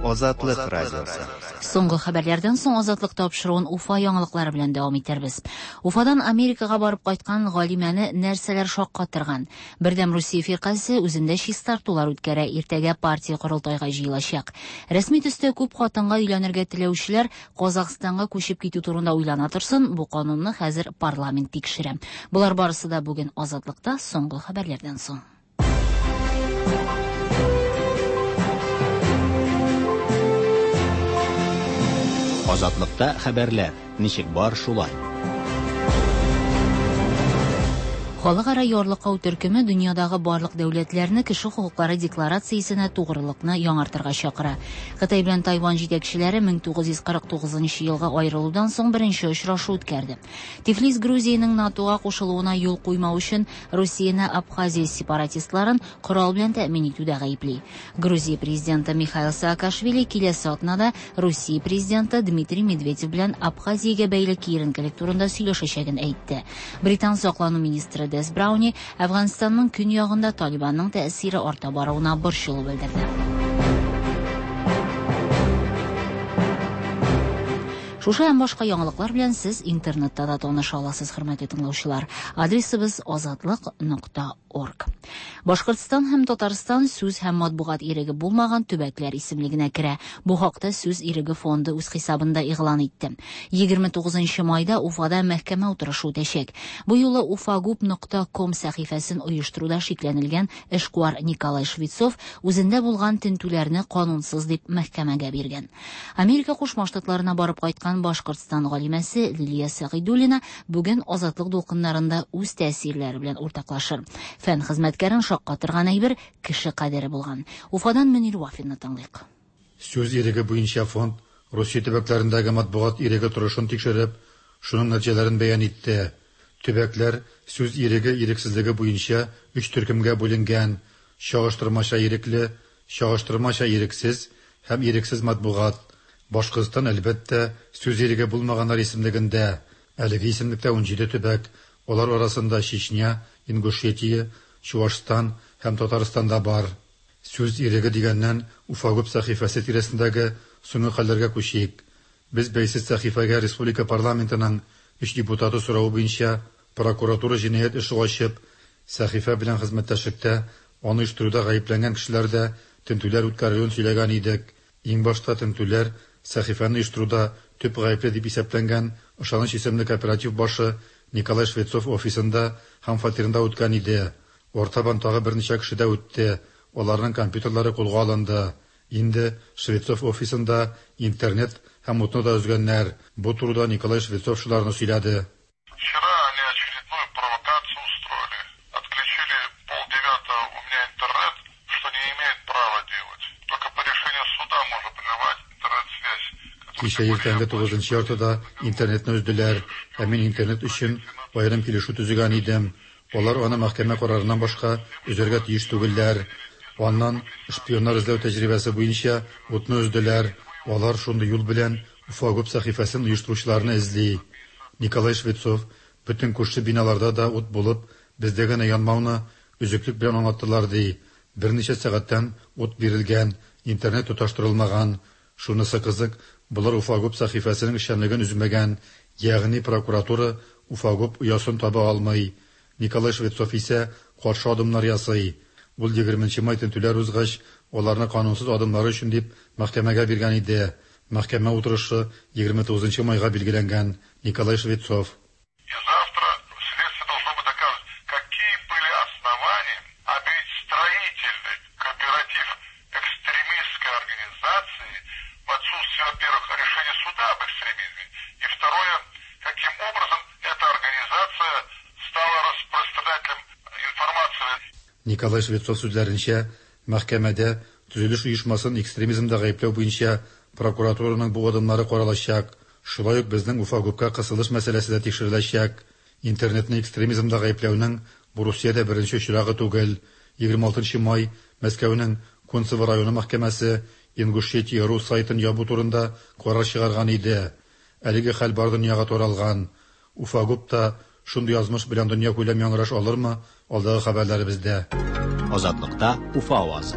Азатлык радиосы. Соңгы хәбәрләрдән соң Азатлык тапшыруын Уфа яңалыклары белән дәвам итәрбез. Уфадан Америкага барып кайткан галимәне нәрсәләр шаккатырган? Бердәм Русия фиркасе үзендә чистартулар үткәрә, иртәгә партия корылтайга җыелачак. Рәсми төстә күп хатынга өйләнергә теләүчеләр Казахстанга күчеп китү турында уйлана торсын, бу канунны хәзер парламент тикшерә. Болар барысы да бүген Азатлыкта соңгы хәбәрләрдән соң. Азатлыкта хәбәрләр. Ничек бар, шулай. Халыкара ярлыкау төркеме дөньядагы барлык дәүләтләрне кеше хокуклары декларациясенә тугрылыкны яңартырга чакыра. Кытай белән Тайвань җитәкчеләре 1949 елгы аерылудан соң беренче очрашу үткәрде. Тифлис Грузиянең НАТОга кушылуына юл куймау өчен Русияне Абхазия сепаратистларын корал белән тәэмин итүдә гаепли. Грузия президенты Михаил Саакашвили киләсе атнада Русия президенты Дмитрий Медведев белән Абхазиягә бәйле киеренкелек турында сөйләшәчәген әйтте. Британ саклану министры Дес Брауни Әфганстанның көньягында Талибанның тәэсире арта баруына борчылу белдерде. Шушы һәм башка яңалыклар белән сез интернетта да таныша аласыз, хөрмәтле тыңлаучылар. Адресыбыз азатлык.орг. Башкортстан һәм Татарстан сүз һәм матбугат иреге булмаган төбәкләр исемлегенә керә. Бу хакта Сүз иреге фонды үз хисабында игълан итте. 29 майда Уфада мәхкәмә утырышы үтәчәк. Бу юлы ufagub.com сәхифәсен оештыруда шикләнелгән эшкуар Николай Швецов үзендә булган тентүләрне канунсыз дип мәхкәмәгә биргән. Америка Кушма Штатларына барып кайткан кайткан Башкортстан галимәсе Лилия Сәгыйдуллина бүген Азатлык дулкыннарында үз тәэсирләре белән уртаклашыр. Фән хезмәткәрен шаккатырган әйбер кеше кадере булган. Уфадан Мөнир Вафинны тыңлыйк. Сүз иреге буенча фонд Русия төбәкләрендәге матбугат иреге торышын тикшереп, шуның нәтиҗәләрен бәян итте. Төбәкләр сүз иреге-ирексезлеге буенча өч төркемгә бүленгән, чагыштырмача ирекле, чагыштырмача ирексез һәм ирексез матбугат. Башкортстан, әлбәттә, сүз иреге булмаганнар исемлегендә. Әлеге исемлектә 17 төбәк, алар арасында Чечня, Ингушетия, Чуашстан һәм Татарстан да бар. Сүз иреге дигәннән, Уфагуб сәхифәсе тирәсендәге соңгы хәлләргә күчик. Без бәйсез сәхифәгә республика парламентының өч депутаты соравы буенча прокуратура җинаять эше ачып, сәхифә белән хезмәттәшлектә, аны оештыруда гаепләнгән кешеләрдә тентүләр үткәрелүен сөйләгән идек. Иң башта тентүләр сәхифәне оештыруда төп гаепле дип исәпләнгән Ышаныч исемле кооператив башы Николай Швецов офисында һәм фатирында үткән иде. Артабан тагы берничә кешедә үтте, аларның компьютерлары кулга алынды. Инде Швецов офисында интернет һәм утны да өзгәннәр. Бу турыда Николай Швецов шуларны сөйләде. Вчера они очередную провокацию устроили. Отключили полдевятого у меня интернет, что не имеют права делать. Только по решению суда можно прерывать интернет-связь. Кичә иртәнге тугызынчы яртыда интернетны өзделәр. Ә мин интернет өчен аерым килешү төзегән идем. Алар аны мәхкәмә карарыннан башка өзәргә тиеш түгелләр. Аннан шпионнар эзләү тәҗрибәсе буенча утны өзделәр. Алар шундый юл белән Уфагуб сәхифәсен оештыручыларны эзли. Николай Швецов бөтен күрше биналарда да ут булып, бездә генә янмауны өзеклек белән аңлаттылар ди. Берничә сәгатьтән ут бирелгән, интернет тоташтырылмаган. Шунысы кызык, болар Уфагуб сәхифәсенең эшчәнлеген өзмәгән, ягъни прокуратура Уфагуб оясын таба алмый. Николай Швецов исә каршы адымнар ясый. Ул 20 май тентүләр узгач, аларны канунсыз адымнары өчен дип мәхкәмәгә биргән иде. Мәхкәмә утырышы 29 майга билгеләнгән. Николай Швецов. И завтра следствие должно быть доказывать, какие были основания объявить строительный кооператив экстремистской организации в отсутствие, во-первых, решения суда об экстремизме, и второе, каким образом эта организация стала распространителем информации. Николай Швецов сүзләренчә, мәхкәмәдә төзелеш оешмасын экстремизмда гаепләү буенча прокуратураның бу адымнары каралачак. Шулай ук безнең Уфагубка кысылыш мәсьәләсе дә тикшереләчәк. Интернетны экстремизмда гаепләүнең бу Русиядә беренче очрагы түгел. 26 май Мәскәүнең Кунцево районы мәхкәмәсе Ингушетия.ру сайтын ябу турында карар чыгарган иде. Әлеге хәл бар дөньяга таралган. Уфагуб та шундый язмыш белән дөньякүләм яңгыраш алырмы? Алдагы хәбәрләребездә. Азатлыкта Уфа авазы.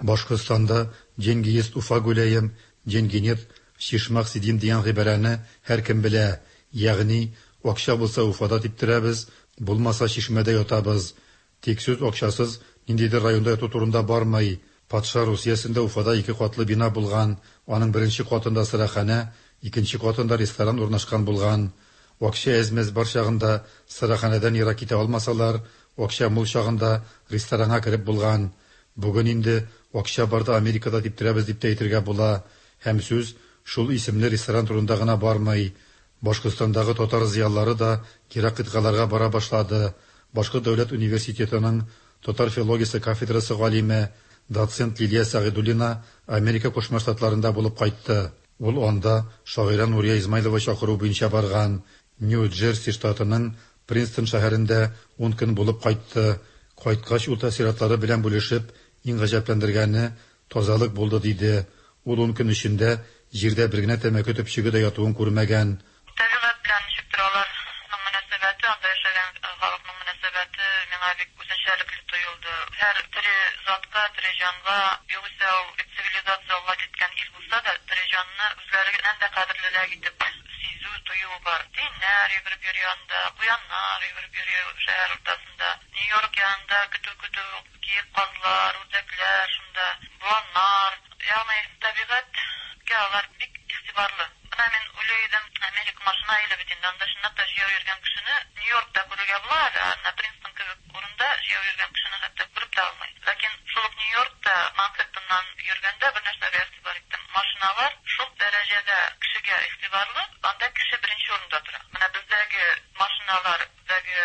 Башкортстанда «Деньги есть, Уфа гуляем, деньги нет, в Чишмах сидим» дигән гыйбарәне һәркем белә. Ягъни, акча булса Уфада типтерәбез, булмаса Чишмәдә ятабыз. Тик сүз акчасыз ниндидер районда яту турында бармый. Патша Русиясендә Уфада ике катлы бина булган. Аның беренче катында сыраханә, икенче катында ресторан урнашкан булган. Акча әз-мәз бар чагында сыраханәдән ерак китә алмасалар, акча мул чагында ресторанга кереп булган. Бүген инде акча барда Америкада типтерәбез дип тә әйтергә була. Һәм сүз шул исемле ресторан турында гына бармый. Башкортстандагы татар зыялылары да ерак кыйтгаларга бара башлады. Башкорт дәүләт университетының татар филологиясе кафедрасы галиме, доцент Лилия Сәгыйдуллина Америка Кушма Штатларында булып кайтты. Ул анда шагыйрә Нурия Измайлова чакыруы буенча барган. Нью-Джерси штатының Принстон шәһәрендә 10 көн булып кайтты. Кайткач ул тәэссоратлары белән бүлешеп, иң гаҗәпләндергәне тазалык булды диде. Ул 10 көн эчендә җирдә бер генә тәмәке төпчеге дә ятуын күрмәгән. Табигать белән ничектер аларның мөнәсәбәте, анда яшәгән халыкның мөнәсәбәте миңа бик үзенчәлекле тоелды. Һәр тере затка, тере җанга, югыйсә ул бит цивилизация алга киткән ил булса да, тере җанны үзләреннән дә кадерлерәк итеп сизү, тою бар. Тиеннәр йөгереп йөри анда, куяннар йөгереп йөри шәһәр уртасында. Нью-Йорк янында көтү-көтү киек казлар, үрдәкләр шунда, боланнар. Ягъни табигатькә алар бик игътибарлы. Менә мин уйлый идем, Америка машина иле бит инде, анда чынлап та җәяү йөргән кешене Нью-Йоркта күрергә була әле, ә менә Принстон кебек урында җәяү йөргән кешене хәтта күреп тә алмый. Ләкин шул ук Нью-Йоркта Манхэттеннан йөргәндә бер нәрсәгә игътибар иттем. Машиналар шул дәрәҗәдә кешегә игътибарлы, анда кеше беренче урында тора. Менә бездәге машиналардагы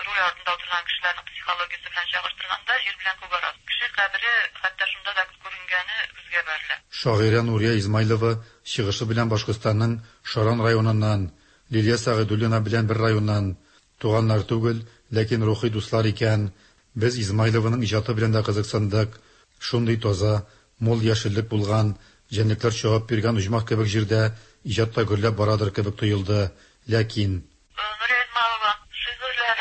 руль артында утырган кешеләрнең психологиясе белән чагыштырганда, җир белән күк арасы. Кеше кадере хәтта шунда да күренгәне күзгә бәрелә. Шагыйрә Нурия Измайлова чыгышы белән Башкортстанның Шаран районыннан, Лилия Сәгыйдуллина белән бер районнан. Туганнар түгел, ләкин рухи дуслар икән. Без Измайлованың иҗаты белән дә кызыксындык. Шундый таза, мул яшеллек булган, җәнлекләр чабып йөргән оҗмах кебек җирдә иҗат та гөрләп барадыр кебек тоелды. Ләкин. Нурия Измайлова шигырьләр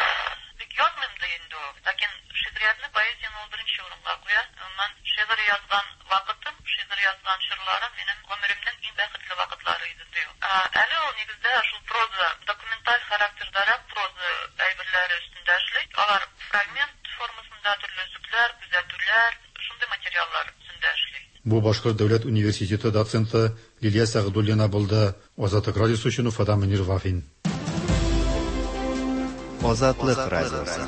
бик язмыйм ди инде ул. Ләкин шигъриятне, поэзияне ул беренче урынга куя. Гомумән, шигырь язган вакытым, шигырь язган чорларым минем гомеремнең иң бәхетле вакытлары иде, ди ул. Әле ул нигездә шул проза, документаль характердарак проза әйберләре өстендә эшли. Алар фрагмент формасында, төрле өзекләр, күзәтүләр, шундый материаллар өстендә эшли. Бу Башкорт дәүләт университеты доценты Лилия Сәгъдуллина булды. Азатлык радиосы өчен Уфадан Мөнир Вафин. Азатлык радиосы.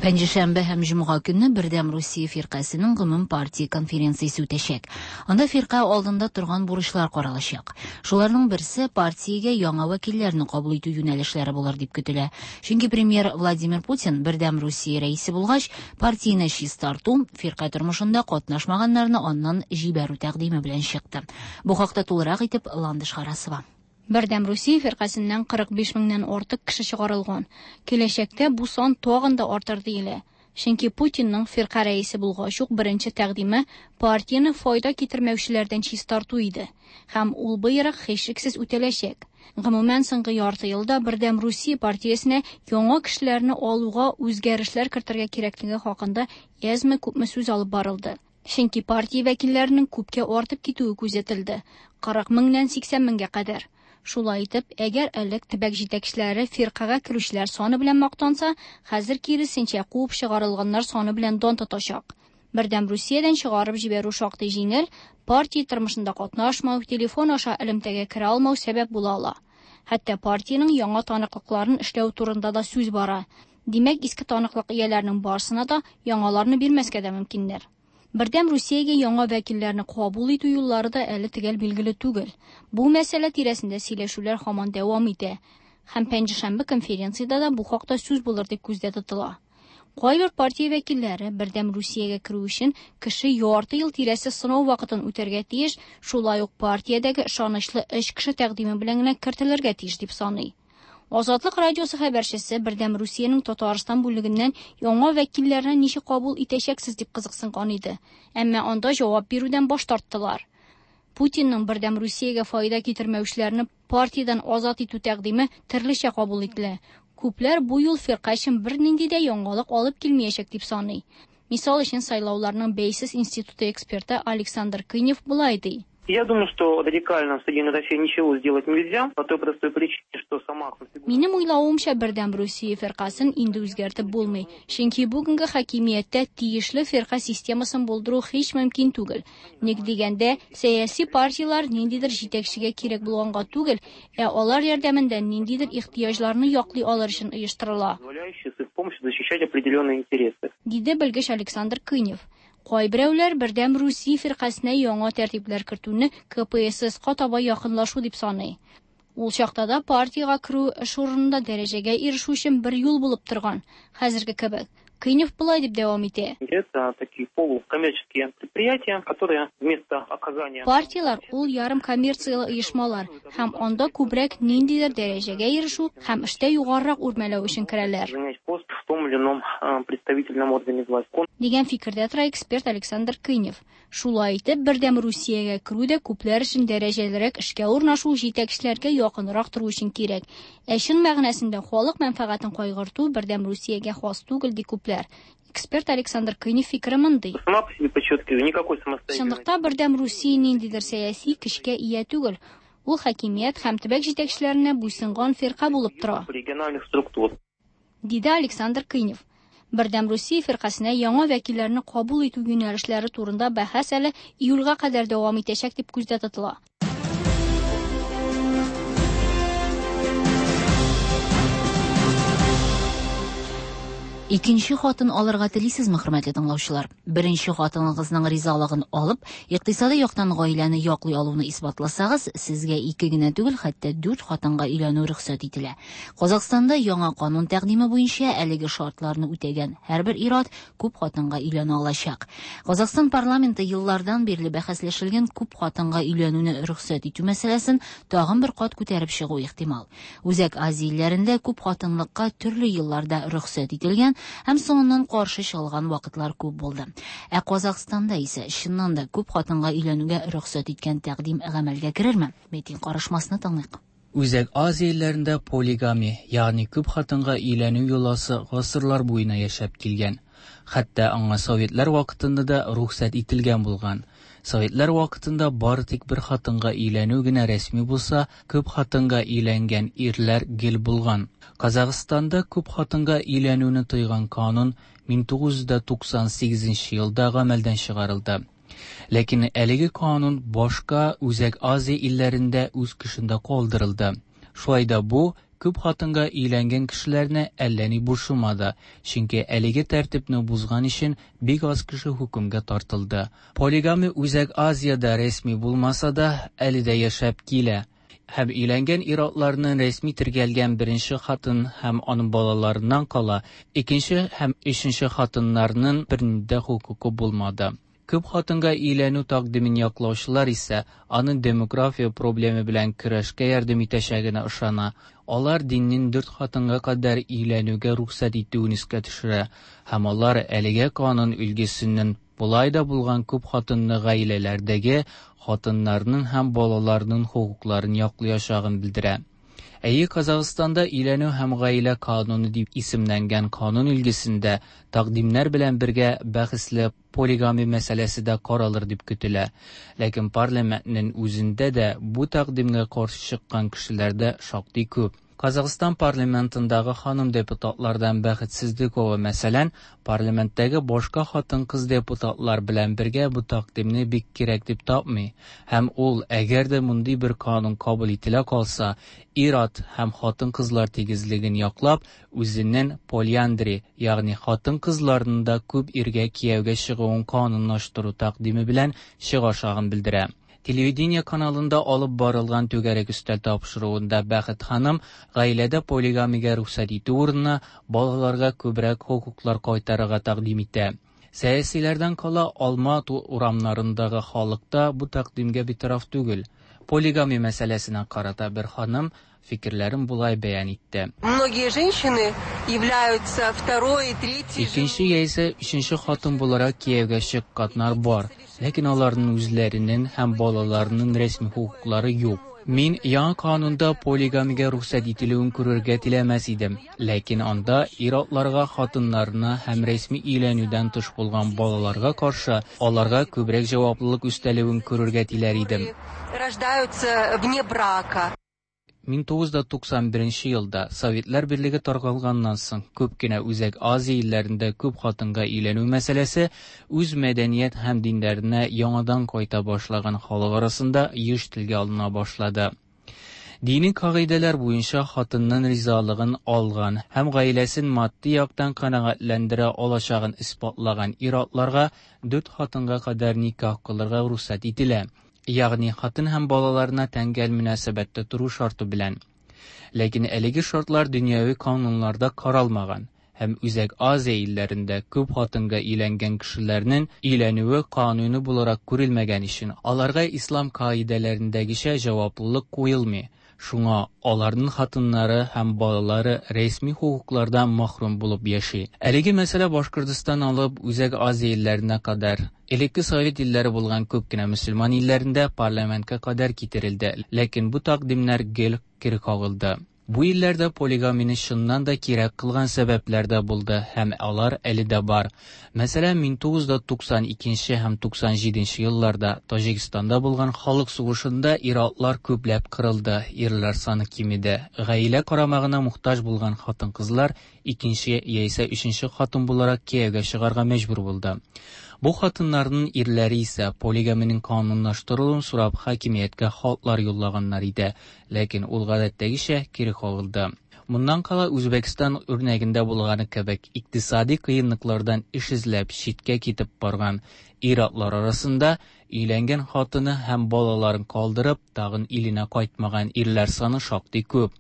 Пәнҗешәмбе һәм җомга көнне Бердәм Русия фиркасенең гомум партия конференциясе үтәчәк. Анда фирка алдында торган бурычлар каралачак. Шуларның берсе партиягә яңа вәкилләрне кабул итү юнәлешләре булыр дип көтелә. Чөнки премьер Владимир Путин Бердәм Русия рәисе булгач, партияне чистарту, фирка тормышында катнашмаганнарны аннан җибәрү тәкъдиме белән чыкты. Бу хакта тулырак итеп Ландыш Харасова. Бердәм Русия фиркасеннән 45 меңнән артык кеше чыгарылган. Киләчәктә бу сан тагын да артыр диелә. Чөнки Путинның фирка рәисе булгач ук беренче тәкъдиме партияне файда китермәүчеләрдән чистарту иде. Һәм ул боерык һичшиксез үтәләчәк. Гомумән, соңгы ярты елда Бердәм Русия партиясенә яңа кешеләрне алуга үзгәрешләр кертергә кирәклеге хакында әзме-күпме сүз алып барылды. Чөнки партия вәкилләренең күпкә артып китүе күзәтелде. 40 меңнән 80 меңгә кадәр. Шулай итеп, әгәр элек төбәк җитәкчеләре фиркагә керүчеләр саны белән мактанса, хәзер киресенчә куып чыгарылганнар саны белән дан тотачак. Бердәм Русиядән чыгарып җибәрү шактый җиңел, партия тормышында катнашмау, телефон аша элемтәгә керә алмау сәбәп була ала. Хәтта партиянең яңа таныклыкларын эшләү турында да сүз бара. Димәк, иске таныклык ияләренең барысына да яңаларны бирмәскә дә мөмкиннәр. Бердәм Русиягә яңа вәкилләрне кабул итү юллары да әле төгәл билгеле түгел. Бу мәсьәлә тирәсендә сөйләшүләр һаман дәвам итә. Һәм пәнҗешәмбе конференциядә дә бу хакта сүз булыр дип күздә тотыла. Кайбер партия вәкилләре Бердәм Русиягә керү өчен кеше ярты ел тирәсе сынау вакытын үтәргә тиеш, шулай ук партиядәге ышанычлы өч кеше тәкъдиме белән генә кертелергә тиеш дип саный. Азатлык радиосы хәбәрчесе Бердәм Русиянең Татарстан бүлегеннән яңа вәкилләрне ничек кабул итәчәксез дип кызыксынган иде. Әмма анда җавап бирүдән баш тарттылар. Путинның Бердәм Русиягә файда китермәүчеләрне партиядән азат итү тәкъдиме төрлечә кабул ителә. Күпләр бу юл фирка өчен бернинди дә яңалык алып килмәячәк дип саный. Мисал өчен сайлауларның бәйсез институты эксперты Александр Кынев болай ди. Я думаю, что радикально в Соединенной России ничего сделать нельзя, по той простой причине, что сама конфигурация... Минем уйлавымча, Бердәм Русия фиркасын инде үзгәртеп булмый. Чөнки бүгенге хакимияттә тиешле фирка системасын булдыру һич мөмкин түгел. Ник дигәндә, сәяси партияләр ниндидер җитәкчегә кирәк булганга түгел, ә алар ярдәмендә ниндидер ихтыяҗларны яклый алыр өчен оештырыла. Позволяющие с их помощью защищать определенные интересы. Диде белгеч Александр Кынев. Кайберәүләр Бердәм Русия фиркасенә яңа тәртипләр кертүне КПССка таба якынлашу дип саный. Ул чакта да партиягә керү эш урынында дәрәҗәгә ирешү өчен бер юл булып торган, хәзерге кебек. Кынев болай дип дәвам итә. Это такие полукоммерческие предприятия, которые вместо оказания... Партияләр ул ярым коммерцияле оешмалар, һәм анда күбрәк ниндидер дәрәҗәгә ирешү һәм эштә югарырак үрмәләү өчен керәләр. Занять пост в том или ином представительном органе власти. Дигән фикердә тора эксперт Александр Кынев. Шулай итеп, Бердәм Русиягә керү дә күпләр өчен дәрәҗәлерәк эшкә урнашу, җитәкчеләргә якынрак тору өчен кирәк. Ә чын мәгънәсендә халык мәнфәгатен кайгырту Бердәм Русиягә хас түгел ди күпләр. Эксперт Александр Кынев фикере мондый. Сама по себе подчеркиваю, никакой самостоятельной. Чынлыкта Бердәм Русия ниндидер сәяси көчкә ия түгел. Ул хакимият һәм төбәк җитәкчеләренә буйсынган фирка булып тора. Региональных структур. Диде Александр Кынев. Бердәм Русия фиркасенә яңа вәкилләрне кабул итү юнәлешләре турында бәхәс әле июльгә кадәр дәвам итәчәк дип күздә тотыла. Икенче хатын алырга телисезме, хөрмәтле тыңлаучылар? Беренче хатыныгызның ризалыгын алып, икътисадый яктан гаиләне яклый алуны исбатласагыз, сезгә ике генә түгел, хәтта дүрт хатынга өйләнү рөхсәт ителә. Казахстанда яңа канун тәкъдиме буенча әлеге шартларны үтәгән һәрбер ир-ат күп хатынга өйләнә алачак. Казахстан парламенты еллардан бирле бәхәсләшелгән күп хатынга өйләнүне рөхсәт итү мәсьәләсен тагын бер кат күтәреп чыгуы ихтимал. Үзәк Азия илләрендә күп хатынлыкка төрле елларда рөхсәт ителгән һәм соңыннан каршы чыгылган вакытлар күп булды. Ә Казахстанда исә чыннан да күп хатынга өйләнүгә рөхсәт иткән тәкъдим гамәлгә керерме? Митинг карышмасны тыңлыйк. Үзәк Азия илләрендә полигамия, ягъни күп хатынга өйләнү йоласы гасырлар буена яшәп килгән. Хәтта аңа советлар вакытында да рөхсәт ителгән булган. Советлар вакытында бары тик бер хатынга өйләнү генә рәсми булса, күп хатынга өйләнгән ирләр гел булган. Казахстанда күп хатынга өйләнүне тыйган канун 1998 елда гамәлдән чыгарылды. Ләкин әлеге канун башка Үзәк Азия илләрендә үз көчендә калдырылды. Шулай да бу күп хатынга өйләнгән кешеләрне әллә ни борчымады, чөнки әлеге тәртипне бозган өчен бик аз кеше хөкемгә тартылды. Полигамия Үзәк Азиядә рәсми булмаса да, әле дә яшәп килә. Һәм өйләнгән ир-атларның рәсми теркәлгән беренче хатын һәм аның балаларыннан кала, икенче һәм өченче хатыннарның бернинди дә хокукы булмады. Күп хатынга өйләнү тәкъдимен яклаучылар исә аның демография проблемы белән көрәшкә ярдәм итәчәгенә ышана. Алар диннең дүрт хатынга кадәр өйләнүгә рөхсәт итүен искә төшерә һәм алар әлеге канун өлгесенең болай да булган күп хатынлы гаиләләрдәге хатыннарның һәм балаларның хокукларын яклаячагын белдерә. Әйе, Казахстанда өйләнү һәм гаилә кануны дип исемләнгән канун өлгесендә тәкъдимнәр белән бергә бәхәсле полигамия мәсьәләсе дә каралыр дип көтелә. Ләкин парламентның үзендә дә бу тәкъдимгә каршы чыккан кешеләр дә шактый күп. Казахстан парламентындагы ханым депутатлардан Бәхет Сыздыкова, мәсәлән, парламенттагы башка хатын-кыз депутатлар белән бергә бу тәкъдимне бик кирәк дип тапмый. Һәм ул, әгәр дә мондый бер канун кабул ителә калса, ир-ат һәм хатын-кызлар тигезлеген яклап, үзенең полиандри, ягъни хатын-кызларның да күп иргә кияүгә чыгуын канунлаштыру тәкъдиме белән чыгачагын белдерә. Телевидение каналында алып барылган түгәрәк өстәл тапшыруында Бәхет ханым гаиләдә полигамиягә рөхсәт итү урынына балаларга күбрәк хокуклар кайтарырга тәкъдим итә. Сәясиләрдән кала Алма урамнарындагы халык та бу тәкъдимгә битараф түгел. Полигамия мәсьәләсенә карата бер ханым фикерләрен болай бәян итте. Многие женщины являются второй, третьей Икенче яисә өченче хатын буларак кияүгә чыкканнар бар, ләкин аларның үзләренең һәм балаларының рәсми хокуклары юк. Мин яңа канунда полигамиягә рөхсәт ителүен күрергә теләмәс идем, ләкин анда ир-атларга хатыннарына һәм рәсми өйләнүдән тыш булган балаларга каршы аларга күбрәк җаваплылык өстәлүен күрергә теләр идем. Рождаются вне брака. 1991 елда Советлар Берлеге таркалганнан соң күп кенә Үзәк Азия илләрендә күп хатынга өйләнү мәсьәләсе үз мәдәният һәм диннәренә яңадан кайта башлаган халык арасында еш телгә алына башлады. Дини кагыйдәләр буенча хатынның ризалыгын алган һәм гаиләсен матди яктан канәгатьләндерә алачагын исбатлаган ир-атларга дүрт хатынга кадәр никах кылырга рөхсәт ителә. Ягъни хатын һәм балаларына тәңгәл мөнәсәбәттә тору шарты белән. Ләкин әлеге шартлар дөньяви кануннарда каралмаган һәм Үзәк Азия илләрендә күп хатынга өйләнгән кешеләрнең өйләнүе кануни буларак күрелмәгән өчен аларга ислам кагыйдәләрендәгечә җаваплылык куелмый. Шуңа аларның хатыннары һәм балалары рәсми хокуклардан мәхрүм булып яши. Әлеге мәсьәлә Башкортстан алып Үзәк Азия илләренә кадәр элекке совет илләре булган күп кенә мөселман илләрендә парламентка кадәр китерелде, ләкин бу тәкъдимнәр гел кире кагылды. Бу илләрдә полигамияне чыннан да кирәк кылган сәбәпләр дә булды һәм алар әле дә бар. Мәсәлән, 1992 һәм 97 елларда Таҗикстанда булган халык сугышында ир-атлар күпләп кырылды, ирләр саны кимеде. Гаилә карамагына мохтаҗ булган хатын-кызлар икенче яисә өченче хатын буларак кияүгә чыгарга мәҗбүр булды. Бу хатыннарның ирләре исә полигамиянең канунлаштырылуын сорап хакимияткә хатлар юллаганнар иде, ләкин ул гадәттәгечә кире кагылды. Моннан кала, Үзбәкстан үрнәгендә булганы кебек, икътисади кыенлыклардан эш эзләп читкә китеп барган ир-атлар арасында өйләнгән хатыны һәм балаларын калдырып, тагын иленә кайтмаган ирләр саны шактый күп.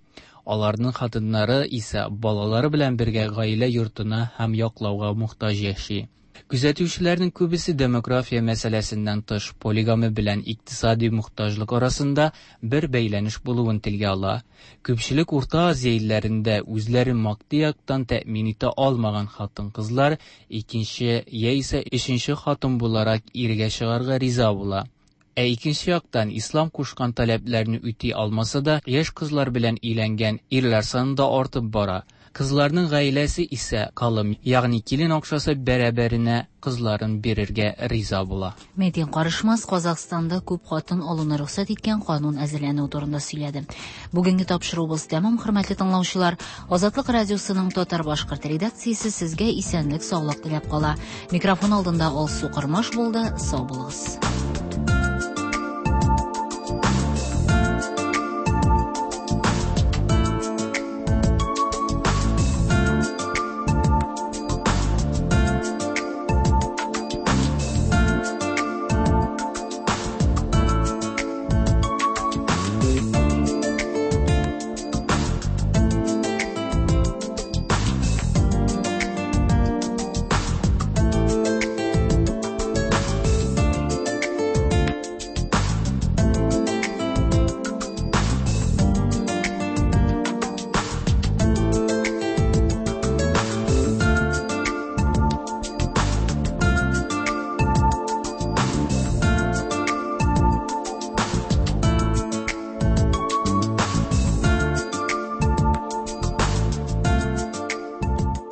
Аларның хатыннары исә балалары белән бергә гаилә йортына һәм яклауга мохтаҗ яши. Күзәтүчеләрнең күбесе демография мәсьәләсеннән тыш, полигамия белән икътисади мохтаҗлык арасында бер бәйләнеш булуын телгә ала. Күпчелек Урта Азия илләрендә үзләрен матди яктан тәэмин итә алмаган хатын-кызлар икенче яисә өченче хатын буларак иргә чыгарга риза була. Ә икенче яктан, ислам кушкан таләпләрне үти алмаса да, яшь кызлар белән өйләнгән ирләр саны да артып бара. Кызларның гаиләсе исә калым, ягъни килен акчасы бәрабәренә кызларын бирергә риза була. Метин Карышмас Казахстанда күп хатын алуны рөхсәт иткән канун әзерләнүе турында сөйләде. Бүгенге тапшыруыбыз тәмам, хөрмәтле тыңлаучылар. Азатлык радиосының татар-башкорт редакциясе сезгә исәнлек-саулык теләп кала. Микрофон алдында Алсу Кормаш булды. Сау булыгыз.